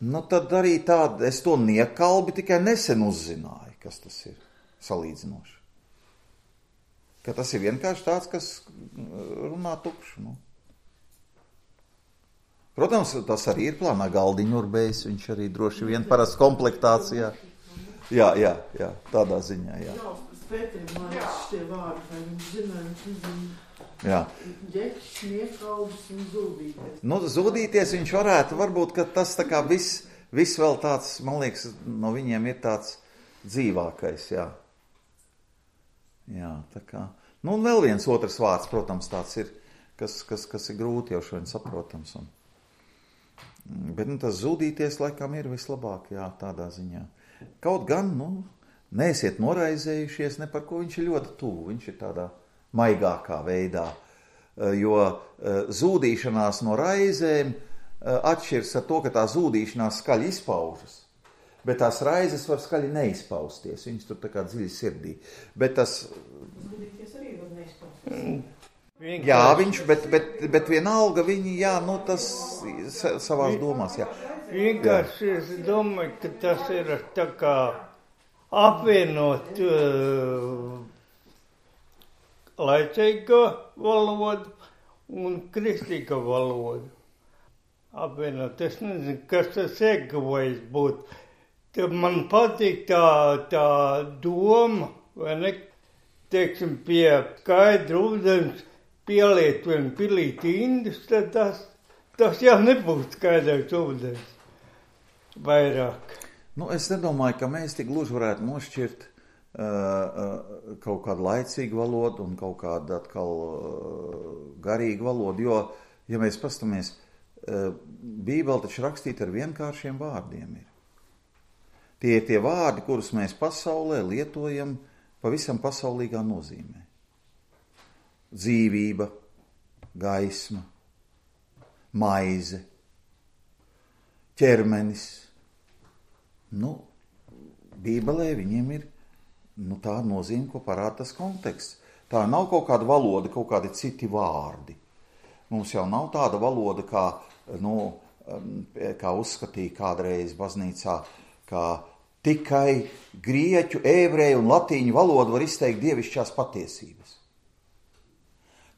Nu, tad arī tāda, es to niekalbi tikai nesen uzzināju, kas tas ir salīdzinoši. Ka tas ir vienkārši tāds, kas runā tukšu. Nu. Protams, tas arī ir plānā galdiņu urbējs, viņš arī droši vien parasti komplektācijā. Jā, jā, jā, tādā ziņā, jā. Jā, Pēterim, man šitie vārdi, vai viņš zina, viņš nezina. Jā. Ģekšs, niekalbis un zūdīties. Nu, zūdīties viņš varētu, varbūt, ka tas tā kā viss, viss vēl tāds, man liekas, no viņiem ir tāds dzīvākais, jā. Jā, tā kā. Nu, un vēl viens otrs vārds, protams, tāds ir, kas, kas, kas ir grūti jau šodien saprotams. Un, bet, nu, tas zūdīties laikam ir vislabāk, jā, tādā ziņā. Kaut gan, nu, neesiet noraizējušies, ne par ko viņš ir ļoti tuvu, viņš ir tādā maigākā veidā, jo zūdīšanās no raizēm atšķiras ar to, ka tā zūdīšanās skaļi izpaužas, bet tās raizes var skaļi neizpausties, viņas tur tā kā dziļi sirdī, bet tas... Zūdīties arī var neizpausties. Jā, viņš, bet, bet, bet vienalga viņi, jā, nu tas savās domās, jā. Vienkārši es domāju, ka tas ir tā kā apvienot uh, laicīgo valodu un kristīgo valodu. Apvienot, es nezinu, kas tas ieguvējis būt. Tad man patīk tā, tā doma, vai ne, teiksim, pie skaidra ūdens pieliet vien pilīti indus, tad tas, tas jau nebūs skaidrs ūdens vairāk. Nu, es nedomāju, ka mēs tik gluži varētu nošķirt uh, uh, kaut kādu laicīgu valodu un kaut kādu atkal uh, garīgu valodu, jo, ja mēs pastamies, uh, Bībele taču rakstīta ar vienkāršiem vārdiem ir. Tie ir tie vārdi, kurus mēs pasaulē lietojam pavisam pasaulīgā nozīmē. Dzīvība, gaisma, maize, ķermenis. Nu, Bībelē viņiem ir nu, tā nozīme, ko parāda tas konteksts. Tā nav kaut kāda valoda, kaut kādi citi vārdi. Mums jau nav tāda valoda, kā, nu, kā uzskatīja kādreiz baznīcā, kā tikai grieķu, ebreju un latīņu valodu var izteikt dievišķās patiesības.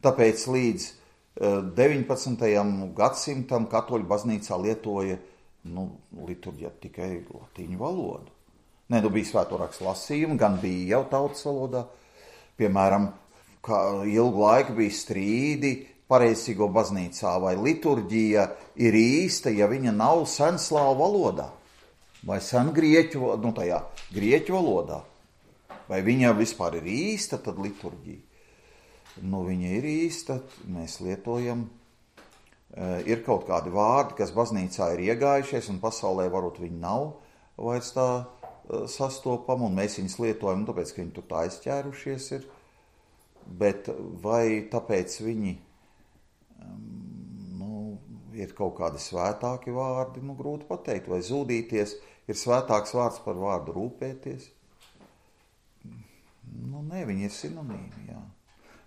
Tāpēc līdz deviņpadsmitajam gadsimtam katoļu baznīcā lietoja nu, liturģija tikai latīņu valodu. Ne, nu bija svēto rakstu lasījumi, gan bija jau tautas valodā. Piemēram, kā ilgu laiku bija strīdi pareizsīgo baznīcā, vai liturģija ir īsta, ja viņa nav senslāvu valodā, vai sen grieķu, nu tajā grieķu valodā. Vai viņa vispār ir īsta, tad liturģija. Nu, viņa ir īsta, mēs lietojam. Ir kaut kādi vārdi, kas baznīcā ir iegājušies, un pasaulē varbūt viņi nav vairs tā sastopami, un mēs viņus lietojam, tāpēc, ka viņi tur tā aizķērušies ir. Bet vai tāpēc viņi nu, ir kaut kādi svētāki vārdi, nu, grūti pateikt, vai zūdīties ir svētāks vārds par vārdu rūpēties? Nu, nē, viņi ir sinonīmi, jā.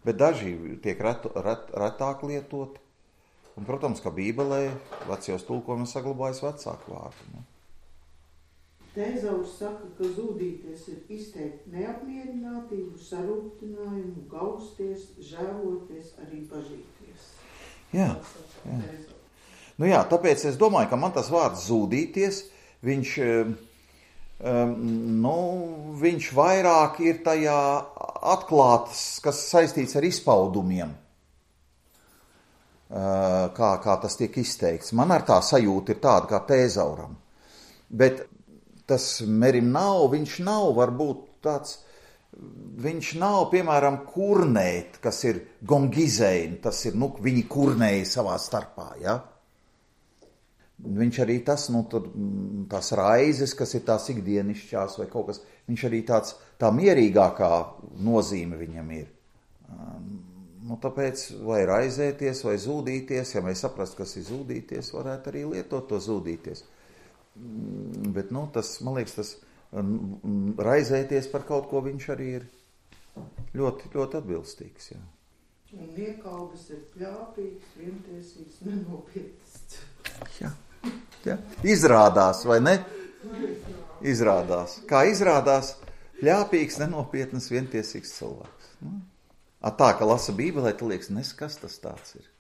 Bet daži tiek ret, ret, retāk lietot, un, protams, ka Bībelē vecajos tulkojumos saglabājas vecāku vārdu. Ne? Tēzaurs saka, ka zūdīties ir izteikt neapmierinātību, sarūktinājumu, gausties, žēloties, arī bažīties. Jā, jā. Nu jā, tāpēc es domāju, ka man tas vārds zūdīties, viņš, um, nu, viņš vairāk ir tajā atklāts, kas saistīts ar izpaudumiem, uh, kā, kā tas tiek izteikts. Man ar tā sajūta ir tāda kā tēzauram, bet tas Merim nav, viņš nav varbūt tāds, viņš nav, piemēram, kurnēt, kas ir gongizeini, tas ir, nu, viņi kurnēja savā starpā, ja? Viņš arī tas, nu, tad, tās raizes, kas ir tās ikdienišķās vai kaut kas, viņš arī tāds, tā mierīgākā nozīme viņam ir. Nu, tāpēc vai raizēties, vai zūdīties, ja mēs saprast, kas ir zūdīties, varētu arī lietot to zūdīties. Bet, nu, tas, man liekas, tas raizēties par kaut ko viņš arī ir ļoti, ļoti atbilstīgs, jā. Un niekaudas ir pļāpīgs, vientiesīgs, nenopietns. Jā, jā. Izrādās, vai ne? Izrādās. Kā izrādās, pļāpīgs, nenopietnas, vientiesīgs cilvēks. Nu? A tā, ka lasa Bībelē, tu liekas, nes, kas tas tāds ir.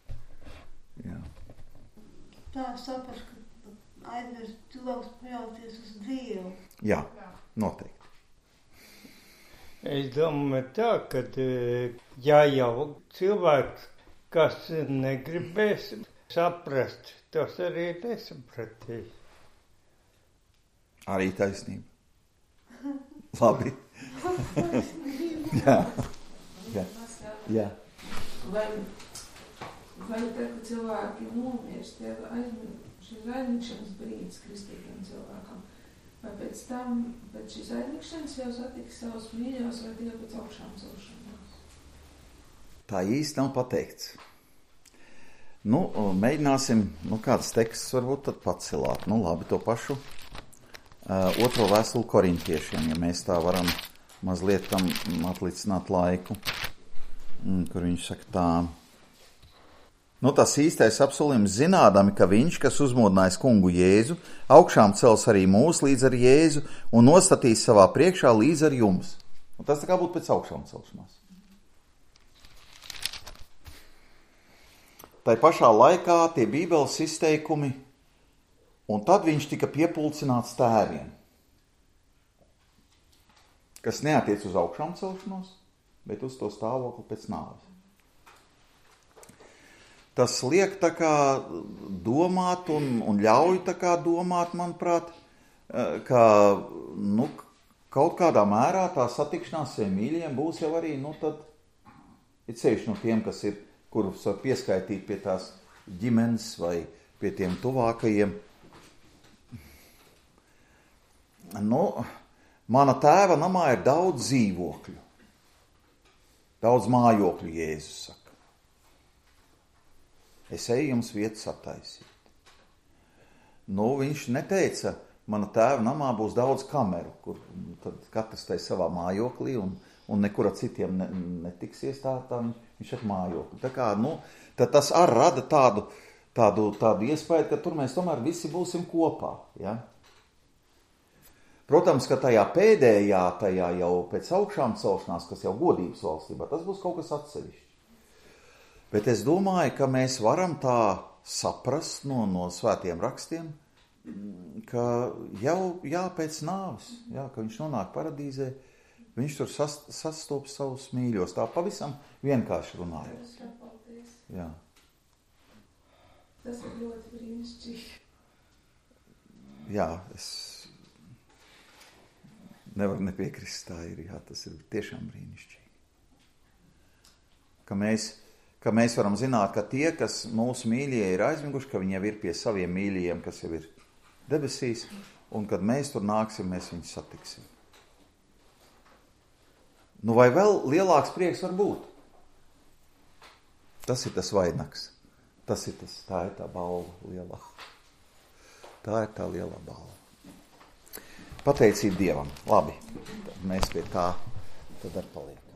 Jā. Tā saprast, ka aizvērst cilvēks paļauties uz Dievu. Jā, noteikti. Es domāju tā, ka ja jau cilvēks, kas negribēs saprast, tas arī nesapratīs. Arī taisnība. Labi. Jā. Jā. Jā. Vai, vai tad, kad cilvēki nomirst, ja aizmirst šis aizmirkšanas brīdis kristīgiem cilvēkam, vai pēc tam, pēc šīs aizmirkšanas jau satiks savus mīļos, vai tikai pēc augšām celšanās? Tā īsti nav pateikts. Nu, mēģināsim, nu, kāds teksts varbūt tad pacelāt. Nu, labi, to pašu uh, otro vēstuli korintiešiem, ja mēs tā varam mazliet tam atlicināt laiku, mm, kur viņš saka tā. Nu, tas īstais apsolījums zinādami, ka viņš, kas uzmodinājis kungu Jēzu, augšām cels arī mūs līdz ar Jēzu un nostatīs savā priekšā līdz ar jums. Un tas tā kā būtu pēc augšām celšanās. Tai pašā laikā tie Bībeles izteikumi, un tad viņš tika piepulcināts tēviem, kas neatiec uz augšām celšanos, bet uz to stāvokli pēc nāves. Tas liek tā kā domāt un, un ļauj tā kā domāt, manuprāt, ka, nu, kaut kādā mērā tā satikšanās saviem mīļiem būs jau arī, nu, tad ir ceļš no tiem, kas ir, kurus var pieskaitīt pie tās ģimenes vai pie tiem tuvākajiem. Nu, mana tēva namā ir daudz dzīvokļu, daudz mājokļu, Jēzus saka. Es eju jums vietas attaisīt. Nu, viņš neteica, mana tēva namā būs daudz kameru, kur tad katrs tai savā mājoklī un, un nekur ar citiem ne, netiksies tā, tā viņš ir mājokli. Tā kā, nu, tad tas arī rada tādu, tādu, tādu iespēju, ka tur mēs tomēr visi būsim kopā, ja? Protams, ka tajā pēdējā, tajā jau pēc augšām celšanās, kas jau godības valstībā, tas būs kaut kas atsevišķi. Bet es domāju, ka mēs varam tā saprast no, no svētiem rakstiem, ka jau jā, pēc nāves, jā, ka viņš nonāk paradīzē, viņš tur sas, sastopas savus mīļos, tā pavisam vienkārši runājot. Jā. Tas ir ļoti brīnišķīgi. Jā, es... Nevar nepiekrist, tā ir, jā, tas ir tiešām brīnišķīgi. Ka mēs, ka mēs varam zināt, ka tie, kas mūsu mīļie ir aizmiguši, ka viņi jau ir pie saviem mīļajiem, kas jau ir debesīs, un kad mēs tur nāksim, mēs viņus satiksim. Nu vai vēl lielāks prieks var būt? Tas ir tas vainags. Tas ir tas, tā ir tā balva lielā. Tā ir tā lielā balva. Pateicība Dievam. Labi, tad mēs pie tā tad ar paliekam.